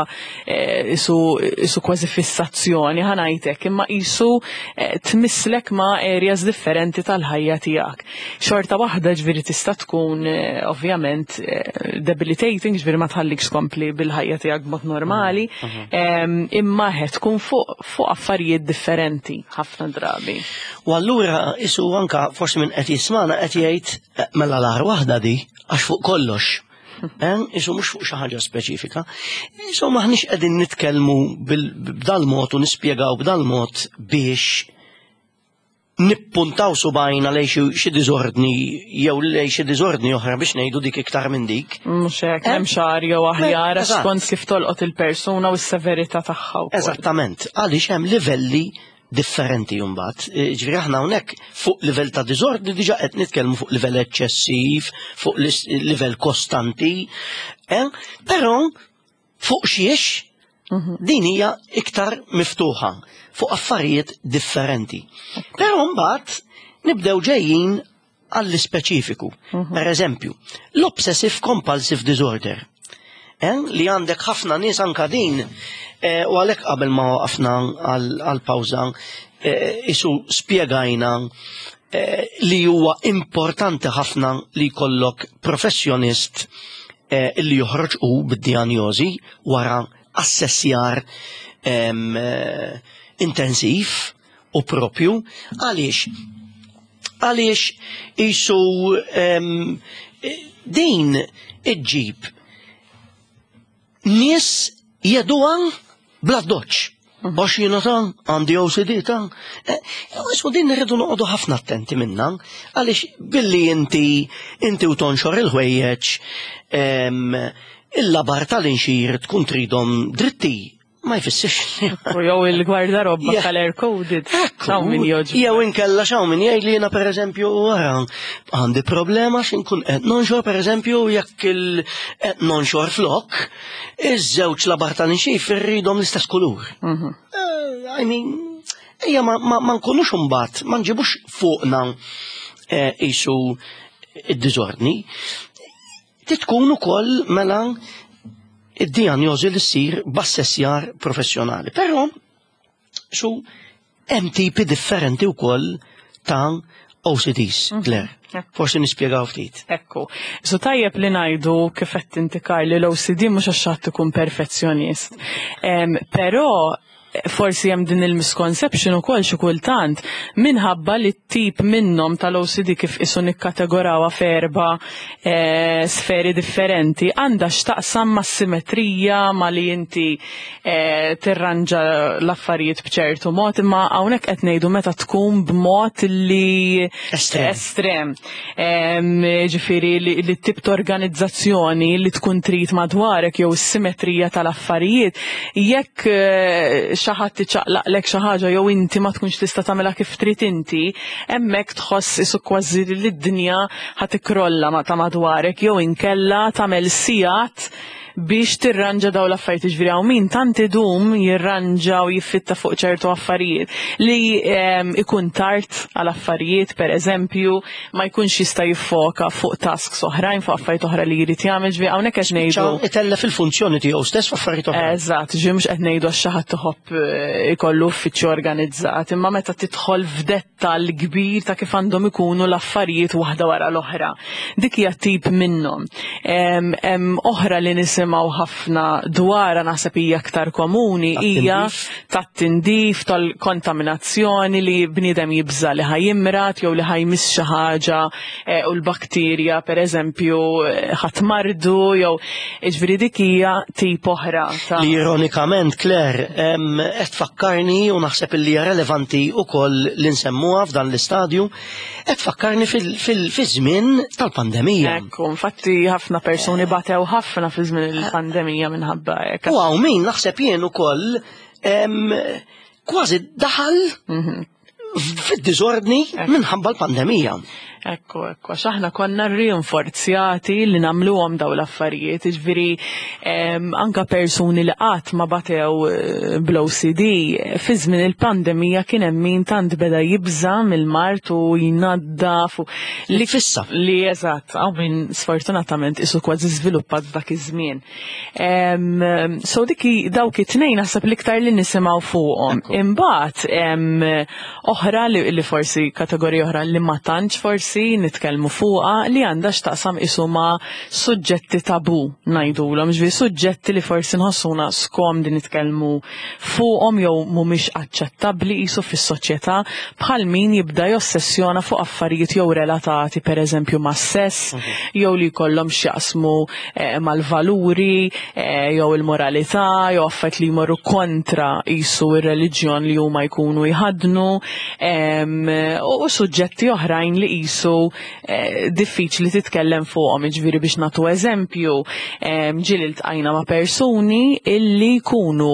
isu kważi fissazzjoni, ħa ngħidlek, imma isu tmisslek ma' areas differenti tal-ħajja tiegħek. Xorta waħda ġifieri tista' tkun ovvjament debilitating, ġifieri ma tħallikx tkompli bil-ħajja tiegħek b'mod normali, imma qed tkun fuq affarijiet differenti ħafna drabi. U allura isu anka forsi minn qed jismana qed jgħid mela l-agħar waħda di għax fuq kollox. Isu mhux fuq xi ħaġa speċifika. Isu maħniex qegħdin nitkellmu b'dal-mod u nispjegaw b'dal-mod biex nippuntaw subajna lej xi diżordni jew lej xi diżordni oħra biex ngħidu dik iktar minn dik. Mhux hekk, hemm xagħar jew aħjar skont kif tolqot il-persuna u s-severità tagħha wkoll. Eżattament, għaliex hemm livelli differenti mbagħad. Ġifieri aħna hawnhekk fuq livell ta' diżordni diġà qed nitkellmu fuq livell eċċessiv, fuq livell kostanti, però fuq xiex din hija iktar miftuħa fuq affarijiet differenti. Però mbagħad nibdew ġejjin għall-ispeċifiku. Per eżempju, l-obsessive compulsive disorder. Li għandek ħafna nies anka din, u għalhekk qabel ma waqafna għal-pawża, isu spjegajna li huwa importanti ħafna li jkollok professjonist li joħroġ u bid-dijanjosi wara assessjar intensiv u propju. Għaliex? Għaliex isu din iġġib nies jeduha bla doċ. Għax jiena ta' għandi OCD ta' Isu din irridu noqogħdu ħafna attenti minna, għaliex billi inti u tonxor il-ħwejjeġ, il-labar tal-inxir tkun tridhom dritti, ma jfissirx. U jew il-gwardarobba color coded. Ekku. X'hawn min jogħġbu. Jew inkella x'hawn min jgħid li jiena pereżempju wara għandi problema x'inkun qed nonxor pereżempju jekk il qed nonxor flok, iż-żewġ labar tal-inxif irridhom l-istess kulur. I mean, ejja ma nkunux imbagħad, ma nġibux fuqna isu id-diżordni. Titkun ukoll mela id-dijanjosi li ssir b'assessjar professjonali. Però su hemm tipi differenti wkoll ta' OCDs, Claire. Forsi nispjegaw ftit. Ekku. So tajjeb li ngħidu kif qed inti Karl li l-OCD mhux għax ħadd ikun perfezzjonist. Però forsi hemm din il-misconception ukoll xi kultant minħabba li t-tip minnhom tal-OCD kif isu nikkategorawha f'erba' sferi differenti għandha x'taqsam mas-simetrija, ma li inti tirranġa l-affarijiet b'ċertu mod, imma hawnhekk qed ngħidu meta tkun b'mod li Estrem. Estrem. Ġifieri li t-tip ta' organizzazzjoni li tkun trid madwarek jew is-simetrija tal-affarijiet, jekk xi ħadd iċaqlaqlek xi ħaġa jew inti ma tkunx tista' tagħmilha kif trid inti, hemmhekk tħoss isu kważi li d-dinja ħa tikkrolla ma ta' madwarek jew inkella tagħmel sigħat biex tirranġa daw l-affarijiet. Ġifieri hawn min tant idum jirranġa u jiffitta fuq ċertu affarijiet li ikun tard għal affarijiet, per eżempju, ma jkunx jista' jiffoka fuq tasks oħrajn, fuq affarijiet oħra li jrid jagħmel. Ġifieri hawnhekk qed ngħidu Spiċċa itellef il-funzjoni tiegħu stess f'affarijiet oħra. Eżatt, ġifieri mhux qed ngħidu għax xi ħadd iħobb ikollu uffiċċju organizzat, imma meta tidħol f'dettall kbir ta' kif għandhom ikunu l-affarijiet waħda wara l-oħra. Dik hija tip minnhom. Hemm oħra li nisimgħu ħafna dwarha, naħseb hija aktar komuni, hija Tat-tindif. tat-tindif, tal-kontaminazzjoni li bniedem jibża' li ħajimrat jew li ħajmiss xi ħaġa u l-bakterja pereżempju ħadd mardu jew ġifieri dik hija tip oħra ta' Li ironikament, Claire, qed tfakkarni u naħseb li hija relevanti wkoll li nsemmuha f'dan l-istadju, qed tfakkarni fiż-żmien tal-pandemija. Ekku, infatti ħafna persuni batew ħafna fi żmien il-pandemija minħabba hekk. U hawn min naħseb jien ukoll kważi daħal fid-diżordni minħabba l-pandemija. Ekku, ekku, għax aħna konna rinforzjati li nagħmluhom daw l-affarijiet, jiġifieri anka persuni li qatt ma batew bl-OCD, fi żmien il-pandemija kien hemm min tant beda jibża' mill-mard u jnaddaf u li fissa. Li eżatt, hawn min sfortunatament isu kważi żviluppat f'dak iż-żmien. So dik dawk it-tnejn naħseb l-iktar li nisimgħu fuqhom. Imbagħad oħra li forsi kategorija oħra li ma tantx forsi nitkellmu fuqha li għandha x'taqsam isu ma' suġġetti tabu ngħidulhom, ġifieri suġġetti li forsi nħossuna skomdi nitkellmu fuqhom jew mhumiex aċċettabbli qisu fis-soċjetà bħal min jibda jossessjona fuq affarijiet jew relatati pereżempju mas-sess jew li jkollhom x'jaqsmu eh, mal-valuri eh, jew il-moralità jew affarijiet li jmorru kontra qisu ir-reliġjon li huma jkunu jħaddnu u suġġetti oħrajn li qisu eh, diffiċli titkellem fuqhom, jiġifieri biex nagħtu eżempju, ġieli ltqajna ma' persuni illi jkunu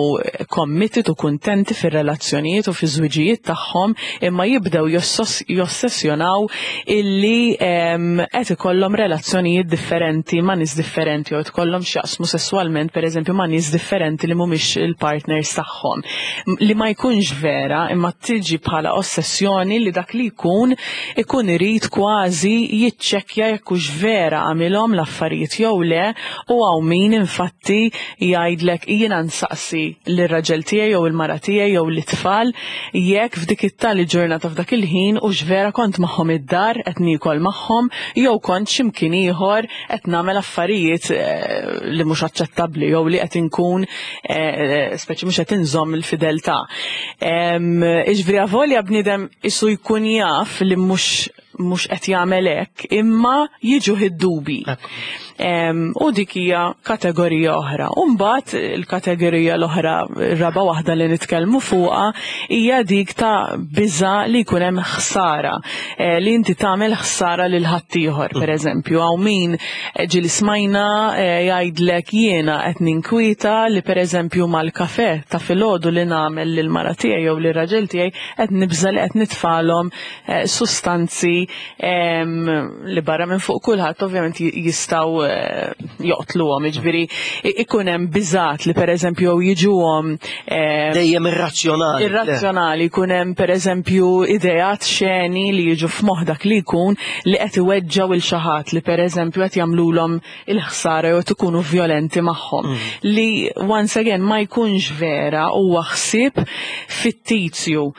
committed u kuntenti fir-relazzjonijiet u fiż-żwiġijiet tagħhom imma jibdew jossessjonaw illi qed ikollhom relazzjonijiet differenti ma' nies differenti jew ikollhom x'jaqsmu sesswalment pereżempju ma' nies differenti li mhumiex il-partners tagħhom. Li ma jkunx vera imma tiġi bħala ossessjoni li dak li jkun ikun irid kważi jiċċekkja jekk hux vera għamilhom l-affarijiet jew le u hawn min infatti jgħidlek jiena nsaqsi lir-raġel tiegħi jew il-mara tiegħi jew lit-tfal jekk f'dik it-tali ġurnata f'dak il-ħin hux vera kont magħhom id-dar qed niekol magħhom jew kont xi mkien ieħor qed nagħmel affarijiet li mhux aċċettabbli jew li qed inkun speċi mhux qed inżomm il-fideltà. Iġifieri avolja bniedem isu jkun jaf li mhux mhux qed jagħmel hekk, imma jiġuh id-dubi. U dik hija kategorija oħra. U mbagħad il-kategorija l-oħra, raba waħda li nitkellmu fuqha, hija dik ta' biża' li jkun hemm ħsara, eh, li inti tagħmel ħsara lil ħaddieħor, per eżempju, hawn min eh, ġieli smajna eh, jgħidlek jiena qed ninkwieta li per eżempju mal-kafe ta' filgħodu li nagħmel lil mara tiegħi jew lir-raġel tiegħi qed nibża' li qed nitfalhom sustanzi li barra minn fuq kulħadd ovvjament jistgħu eh, joqtluhom, jiġifieri ikun hemm biżat li pereżempju jiġuhom dejjem irrazzjonali. Irrazzjonali jkun hemm pereżempju ideat xeni li jiġu f'moħħ dak li jkun li qed iweġġgħu il xi ħadd li pereżempju qed jagħmlulhom il-ħsara jew qed ikunu vjolenti magħhom. Li once again ma jkunx vera huwa ħsieb fittizju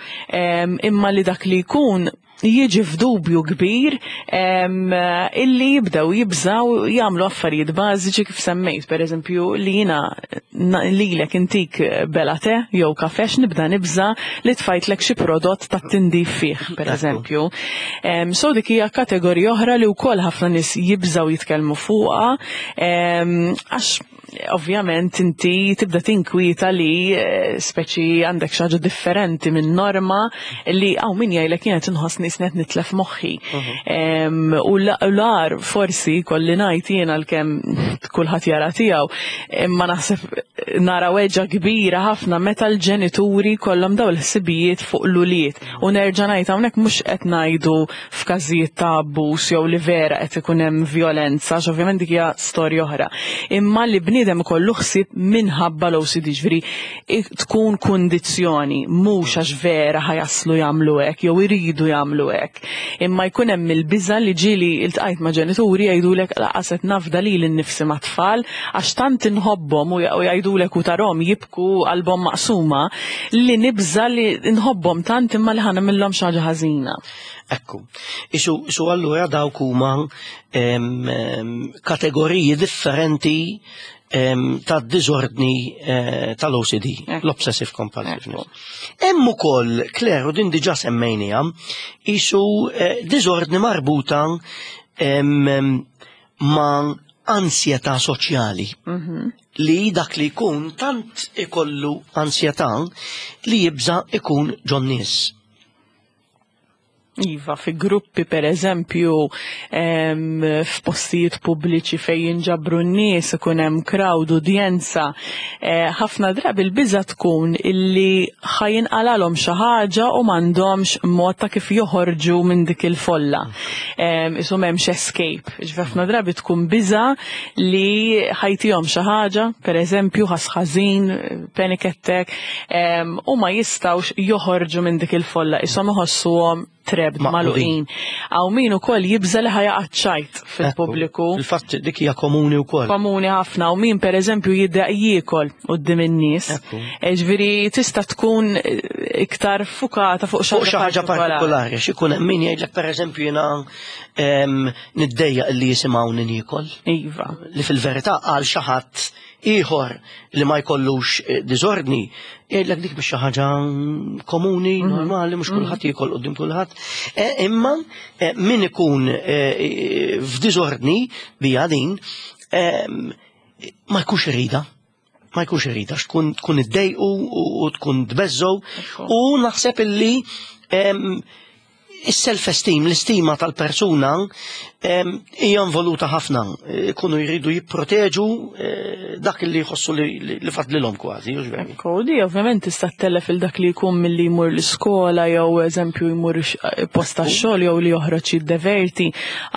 imma li dak li jkun jiġi f'dubju kbir illi jibdew jibżaw jagħmlu affarijiet bażiċi kif semmejt, per eżempju li jiena lilek intik bela te jew kafex nibda nibża li tfajtlek xi prodott ta' tindif fih, per eżempju. So dik hija kategorija oħra li wkoll ħafna nies jibżaw jitkellmu fuqha għax ovvjament inti tibda tinkwieta li eh, speċi għandek xi ħaġa differenti minn norma li hawn min jgħidlek jien qed inħossni qed nitlef moħħi. Mhm. U l-ar forsi kolli ngħid jien għalkemm kulħadd jara tiegħu, imma naħseb nara weġġa kbira ħafna meta l-ġenituri kollhom daw il-ħsibijiet fuq l-ulied. U nerġa' ngħid hawnhekk mhux qed ngħidu f'każijiet ta' abbuż jew li vera qed ikun hemm vjolenza, għax ovvjament dik hija storja oħra. Imma li bniedem ikollu ħsieb minħabba l-OCD, ġifieri tkun kundizzjoni, mhux għax vera ħajaslu jagħmlu hekk jew iridu jagħmlu hekk. Imma jkun hemm il-biża' li ġieli iltqajt ma' ġenituri jgħidulek laqas qed nafda lili nnifsi mat-tfal għax tant inħobbhom u jgħidulek u tarhom jibku qalbhom maqsuma li nibża' li nħobbhom tant imma li ħa nagħmilhom xi ħaġa ħażina. Ekku. Isu, isu allura dawk huma kategoriji differenti ta' diżordni eh, tal-OCD, l-Obsessive Compulsiveness. Hemm ukoll, Claire, u din diġà semmejniha, isu eh, diżordni marbuta ma' ansjetà soċjali. Mhm. Li dak li jkun tant ikollu ansjetà li jibża ikun ġon nies. Iva, fi gruppi per eżempju, f'postijiet pubbliċi fejn jinġabru n-nies, ikun hemm crowd, udjenza, ħafna drabi l-biża tkun illi ħa jinqalalhom xi ħaġa u m'għandhomx mod ta' kif joħorġu minn dik il-folla. Isu m'hemmx escape. Ġifieri ħafna drabi tkun biża li ħa jtihom xi ħaġa, per eżempju ħass ħażin, panic attack, u ma jistgħux joħorġu minn dik il-folla, ishom iħossuhom trapped, magħluqin. Hawn min ukoll jibża li ħa jaqa' ċajt fil-pubbliku. Il-fatt dik hija komuni wkoll. Komuni ħafna, u min per eżempju jiddejjaq jiekol quddiem in-nies. Ġifieri tista' tkun iktar fukata fuq xi ħaġa partikolari. X'ikun hemm min jgħidlek, per eżempju, jiena niddejjaq li jisimgħuni niekol. Li fil-verità għal xi ħadd ieħor li ma jkollux diżordni, jgħidlek dik biex xi ħaġa komuni, normali, mhux kulħadd jiekol quddiem kulħadd. Imma min ikun f'diżordni bija din ma jkunx irida. Ma jkunx irida, tkun iddejqu u tkun tbeżżgħu. U naħseb illi is-self-esteem, l-istima tal-persuna hija involuta ħafna. Ikunu jridu jipproteġu dak li jħossu li fadlilhom kważi, hux veru? Ekku, di ovvjament tista' ttellef il dak li jkun milli jmur l-iskola jew eżempju jmur post tax-xogħol jew li joħroġ jiddeverti.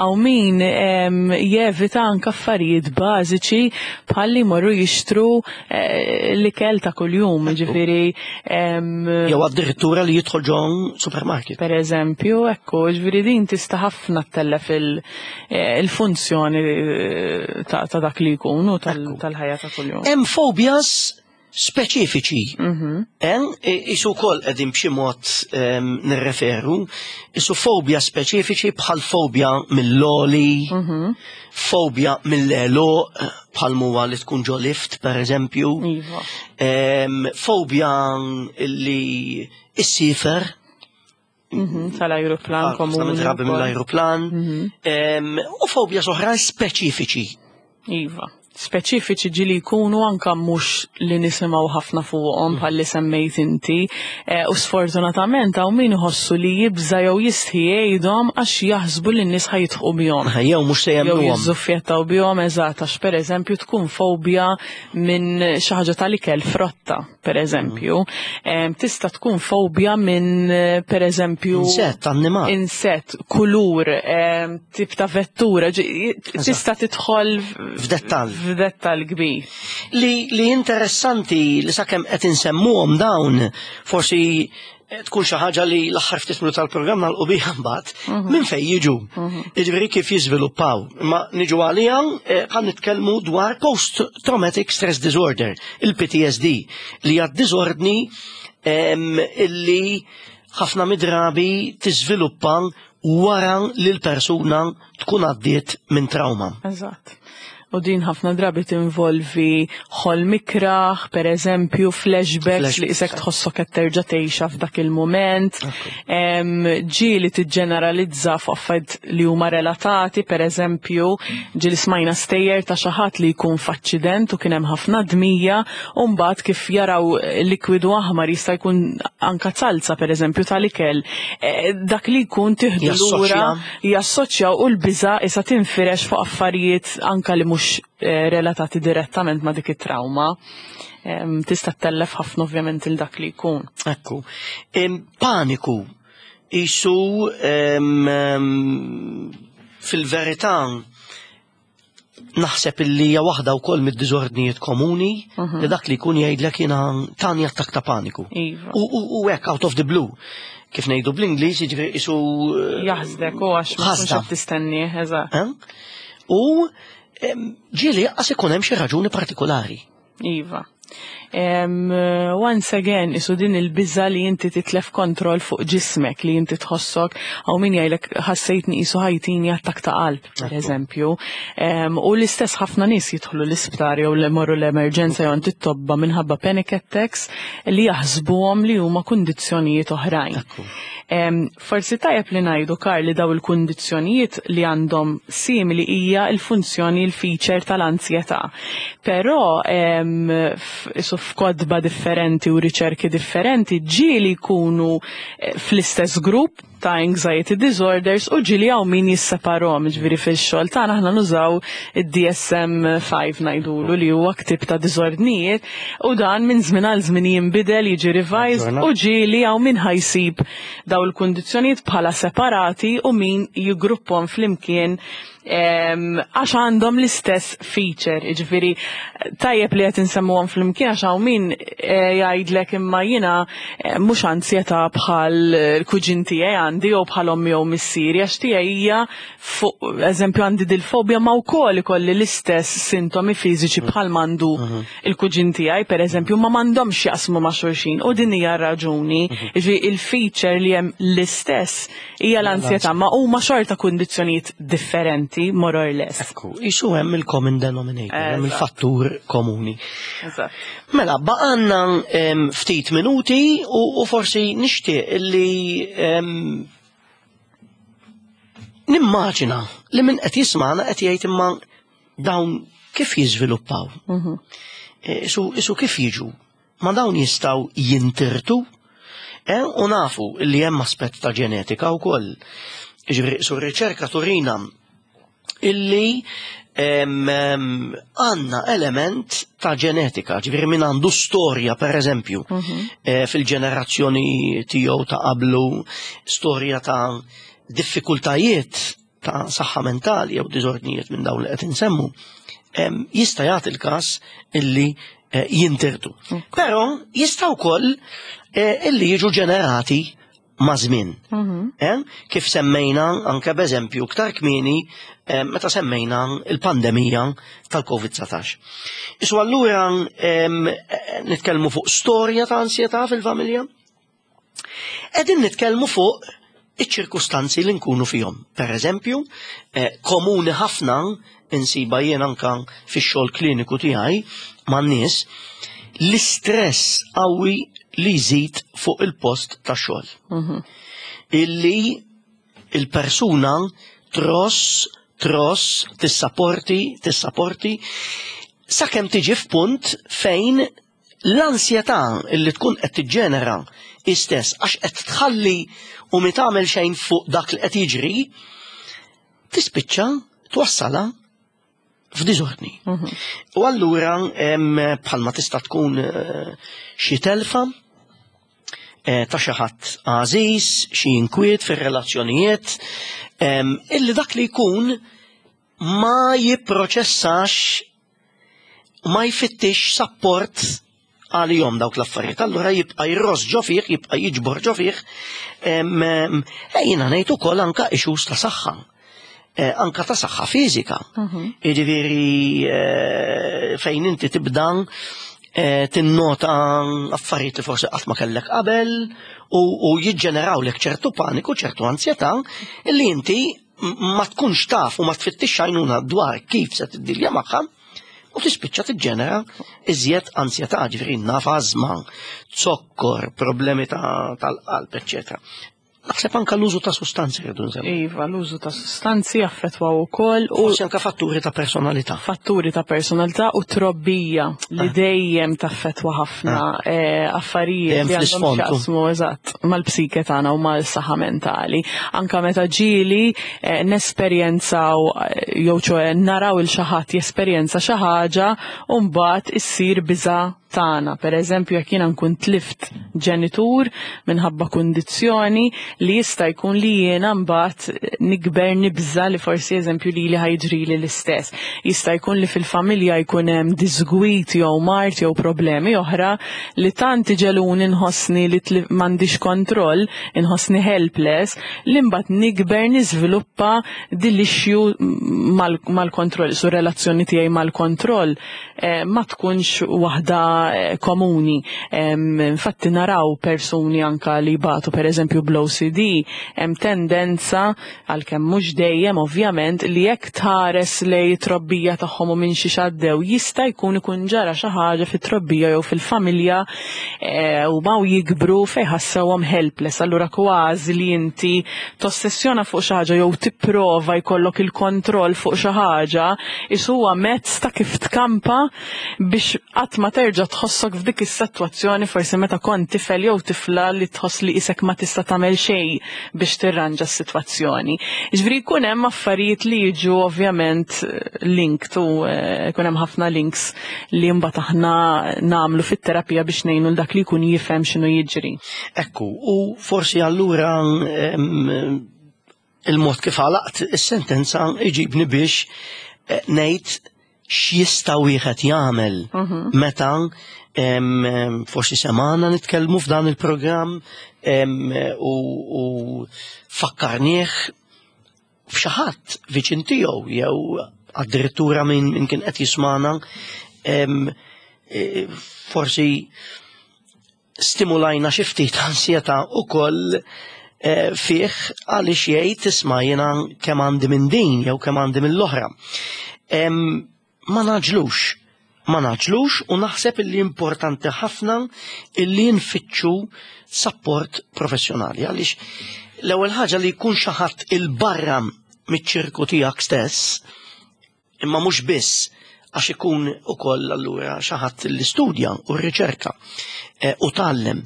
Hawn min jevita anke affarijiet bażiċi bħal li jmorru jixtru l-ikel ta' kuljum, ġifieri Jew addirittura li jidħol ġon supermarket. Per eżempju, ekku, ġifieri din tista' ħafna ttellef il-funzjoni ta' dak li jkun u tal-ħajja ta' kuljum. Hemm phobias speċifiċi. Isu wkoll qegħdin b'xi mod nirreferu, isu fobja speċifiċi bħal fobja mill-għoli, fobja mill-għeluq, bħal muwa li tkun ġo lift, per eżempju. Fobja li issifer. Tal-ajruplan komuni. Drabi mill-ajruplan. U fobja oħra speċifiċi. Iva. Speċifiċi ġieli jkunu anka mhux li nisimgħu ħafna fuqhom bħal li semmejt inti. U sfortunatament hawn min iħossu li jibża jew jistħi jgħidhom għax jaħsbu li n-nies ħa jidħqu bihom. Jew mhux se Jew jemmnuhom. jiżżuffjettaw bihom, eżatt, għax per eżempju tkun fobja minn xi ħaġa tal-ikel, frotta, per eżempju. Tista' tkun fobja minn, per eżempju, Insett, annimal. Insett, kulur, tip ta' vettura, tista' tidħol F'dettall. f'dettall kbir. Li interessanti li sakemm qed insemmuhom dawn, forsi tkun xi ħaġa li l-aħħar ftit minuti tal-programm nagħlqu biha mbagħad, minn fejn jiġu. Jiġifieri kif jiżviluppaw. Imma niġu għalija, ħa nitkellmu dwar post-traumatic stress disorder, il-PTSD, li hija diżordni illi ħafna midrabi tiżviluppa wara li l-persuna tkun għaddiet minn trauma. Eżatt. U din ħafna drabi tinvolvi ħolm ikraħ, per eżempju, flashbacks li isek tħossok qed terġa' tgħixha f'dak il-mument. Ġieli tiġġeneralizza fuq affarijiet li huma relatati, per eżempju, ġieli smajna stejjer ta' xi ħadd li jkun f'aċċident u kien hemm ħafna dmija, u mbagħad kif jaraw likwidu aħmar, jista' jkun anka salza, per eżempju, tal-ikel. Dak li jkun tieħdu lura, jassoċja u l-biża' issa tinfirex fuq affarijiet anka li mhux relatati direttament ma' dik it-trauma. Tista' ttellef ħafna ovvjament il dak li jkun. Ekku. Paniku isu fil-verità naħseb illi hija waħda wkoll mid-diżordnijiet komuni li dak li jkun jgħidlek jiena tani attakk ta' paniku. U hekk out of the blue. Kif ngħidu bl-Ingliż, jiġifieri isu Jaħsdek u għax ma tkunx ħasda. qed tistenni, eżatt. Eh? U ġieli qas ikun hemm xi raġuni partikolari. Iva. Once again, isu din il-biża li inti titlef kontroll fuq ġismek, li inti tħossok, hawn min jgħidlek ħassejtni isu ħa jtini attakk ta' qalb, per eżempju. U l-istess ħafna nies jidħlu l-isptar jew li morru l-emerġenza jew għand it-tobba minħabba panic attacks li jaħsbuhom li huma kundizzjonijiet oħrajn. Forsi tajjeb li ngħidu, Karl, li daw il-kundizzjonijiet li għandhom simili hija l-funzjoni, il-feature tal-ansjetà. Però isu f'kodba differenti u riċerki differenti ġieli jkunu fl-istess grupp. ta' anxiety disorders u ġieli hawn min jisseparahom, ġifieri fix-xogħol tagħna aħna nużaw id-DSM-5 ngħidulu li huwa ktieb ta' diżordnijiet u dan minn żmien għal żmien jinbidel, jiġi revised u ġieli hawn min ħa jsib daw il-kundizzjonijiet bħala separati u min jiggruppahom flimkien għax għandhom l-istess feature, ġifieri tajjeb li qed insemmuhom flimkien għax hawn min jgħidlek imma jiena mhux ansjetà bħal il-kuġin tiegħi għandi jew bħal ommi jew missieri, għax tiegħi hija fuq eżempju għandi dil-fobja ma wkoll ikolli l-istess sintomi fiżiċi bħal m'għandu il-kuġin tiegħi pereżempju, ma m'għandhomx jaqsmu ma' xulxin u din hija r-raġuni. Ġifieri il-feature li hemm l-istess hija l-ansjetà, ma huma xorta kundizzjonijiet differenti, more or less. Ekku, isu hemm il-common denominator, hemm il-fattur komuni. Mela, baqanna ftit minuti u forsi nixtieq li nimmaġina li min qed jisma'na qed jgħid imma dawn kif jiżviluppaw? Isu kif jiġu? Ma dawn jistgħu jintirtu? U nafu li hemm aspett ta' ġenetika wkoll. Ġifieri su riċerka turina illi għandna element ta' ġenetika, ġifieri min għandu storja per eżempju, fil-ġenerazzjoni tiegħu ta' qablu, storja ta' diffikultajiet ta' saħħa mentali jew diżordnijiet minn dawn li qed insemmu, jista' jagħti l-każ illi jintirtu. Però jista' wkoll illi jiġu ġenerati ma' żmien. Kif semmejna anke b'eżempju iktar kmieni meta semmejna il-pandemija tal-Covid-19. Isu allura nitkellmu fuq storja ta' ansjetà fil-familja. Qegħdin nitkellmu fuq iċ-ċirkustanzi li nkunu fihom. Per eżempju, komuni ħafna insiba jien anka fix-xogħol kliniku tiegħi man-nies l-istress qawwi li jżid fuq il-post tax-xogħol. Illi il-persuna tross, tross, tissaporti, tissaporti, sakemm tiġi f'punt fejn l-ansjetà illi tkun qed tiġġenera istess għax qed tħalli u mi tagħmel xejn fuq dak li qed jiġri, tispiċċa twassala f'diżordni. U allura bħalma tista' tkun xi telfa ta' xi ħadd għażiż, xi inkwiet fir-relazzjonijiet, illi dak li jkun ma jipproċessax, ma jfittix sapport għalihom dawk l-affarijiet. Allura jibqa' jross ġo fih, jibqa' jiġbor ġo fih. Jiena ngħid ukoll anka issues ta' saħħa. Anka ta' saħħa fiżika. Jiġifieri fejn inti tibda tinnota affarijiet li forsi qatt ma kellek qabel u jiġġenerawlek ċertu paniku, ċertu ansjetà illi inti ma tkunx taf u ma tfittix għajnuna dwar kif se tiddilja magħha u tispiċċa tiġġenera iżjed ansjetà, ġifieri naf ażma, zokkor, problemi tal-qalb, eċċetera. Naħseb anka l-użu ta' sustanzi rridu nsemmu. Iva, l-użu ta' sustanzi jaffettwaw ukoll u forsi anka fatturi ta' personalità. Fatturi ta' personalità u trobbija li dejjem taffettwa ħafna affarijiet Dejjem li għandhom fl-isfond. x'jaqsmu eżatt mal-psike tagħna u mal-saħħa mentali. Anka meta ġieli nesperjenzaw jew ċoe naraw il xi ħadd jesperjenza xi ħaġa u mbagħad issir biża' tagħna. Per eżempju, jekk jiena nkun tlift ġenitur minħabba kundizzjoni li jista' jkun li jiena mbagħad nikber nibża li forsi eżempju li li ħa jiġrili l-istess. Jista' jkun li fil-familja jkun hemm disgwit jew mard jew problemi oħra li tant iġeluni nħossni li m'għandix kontroll, inħossni helpless, li mbagħad nikber niżviluppa din l-issue mal-kontroll, su relazzjoni tiegħi mal-kontroll ma tkunx waħda komuni. Infatti naraw persuni anka li batu per eżempju bl-OCD, hemm tendenza, għalkemm mhux dejjem ovvjament, li jekk tħares lej trobbija tagħhom u minn xi xaddew jista' jkun ikun ġara xi ħaġa fit-trobbija jew fil-familja u maw jikbru fejn ħassewhom helpless. Allura kważi li inti tossessjona fuq xi ħaġa jew tipprova jkollok il-kontroll fuq xi ħaġa, is huwa mezz ta' kif tkampa. biex qatt ma terġa' tħossok f'dik is-sitwazzjoni forsi meta kont tifel jew tifla li tħoss li isek ma tista' tagħmel xejn biex tirranġa s-sitwazzjoni. Jiġifieri jkun hemm affarijiet li jiġu ovvjament linked u jkun hemm ħafna links li mbagħad aħna nagħmlu fit-terapija biex ngħinu l dak li jkun jifhem x'inhu jiġri. Ekku, u forsi allura il-mod kif għalaqt is-sentenza iġibni biex ngħid x'jista' wieħed jagħmel meta forsi semana nitkellmu f'dan il-programm u fakkarnieh f'xi ħadd viċin tiegħu jew addirittura minn kien qed jismana forsi stimulajna xi ftit ansjetà ukoll fih għaliex jgħid isma' jiena kemm għandi minn din jew kemm għandi mill-oħra. Ma naġlux, ma naġlux u naħseb illi importanti ħafna illi nfittxu support professjonali għaliex l-ewwel ħaġa li jkun xi ħadd il-barra miċ-ċirku tiegħek stess, imma mhux biss għax ikun ukoll allura xi ħadd li studja u rriċerka u tgħallem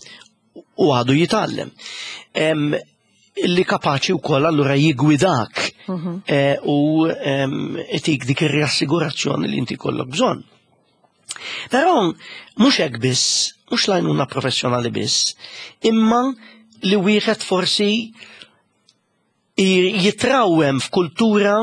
u għadu jitgħallem. Li kapaċi wkoll allura jigwidak u itik dik ir-riassigurazzjoni li inti kollok bżonn. Però mhux hekk biss, mhux l-għajnuna professjonali biss, imma li wieħed forsi jitrawem f'kultura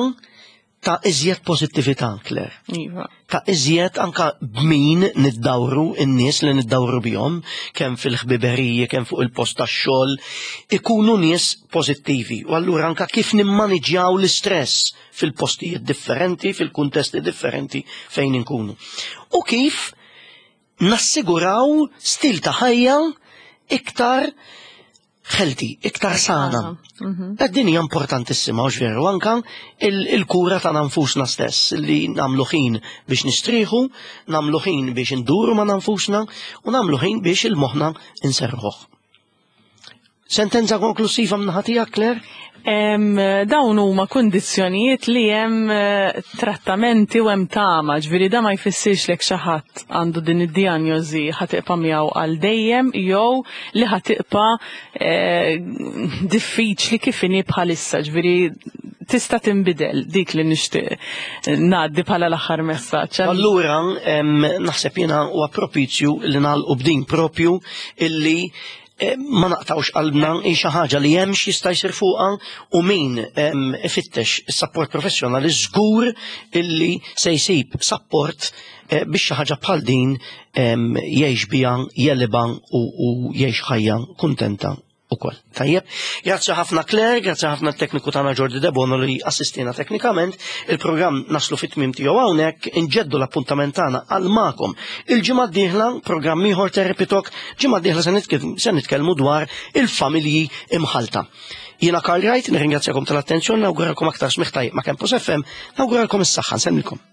ta' iżjed pożittività, Claire. Iva. Ta' iżjed anka b'min niddawru in-nies li niddawru bihom, kemm fil-ħbiberiji, kemm fuq il-post tax-xogħol, ikunu nies pożittivi. U allura anka kif nimmaniġjaw l-istress fil-postijiet differenti, fil-kuntesti differenti fejn inkunu. U kif nassiguraw stil ta' ħajja iktar healthy, iktar sana. Din hija importantissima, hux veru, anka il-kura ta' nfusna stess, li nagħmlu ħin biex nistrieħu, nagħmlu ħin biex induru ma' nfusna u nagħmlu ħin biex il-moħħna inserħuh. Sentenza konklusiva min-naħa tiegħek, Claire? Dawn huma kundizzjonijiet li hemm trattamenti u hemm tama, ġifieri da ma jfissirx lek xi ħadd għandu din id-dijanjosi ħa tibqa' miegħu għal dejjem jew li ħa tibqa' diffiċli kif inhi bħalissa, ġifieri tista' tinbidel dik li nixtieq ngħaddi bħala l-aħħar messaġġ. Allura naħseb jiena huwa propizju li nagħlqu b'din propju illi ma naqtawx qalbna hi xi ħaġa li hemm x'jista' jsir fuqha u min ifittex is-sapport professjonali żgur illi se jsib sapport biex xi ħaġa bħal din jgħix biha, jelibha u jgħix ħajja kuntenta ukoll. Tajjeb, grazzi ħafna Claire, grazzi ħafna t-tekniku tagħna Jordi Debono li assistina teknikament. Il-programm naslu fit-tmiem tiegħu hawnhekk, inġeddu l-appuntament tagħna għal magħkom. Il-ġimgħa d-dieħla programm ieħor Therapy Talk, ġimgħa d-dieħla se nitkellmu dwar il-familji imħalta. Jiena Karl Wright, nirringrazzjakom tal-attenzjoni, nawguralkom aktar smigħ tajjeb ma' Campus FM, nawguralkom is-saħħa, nsellmilkom.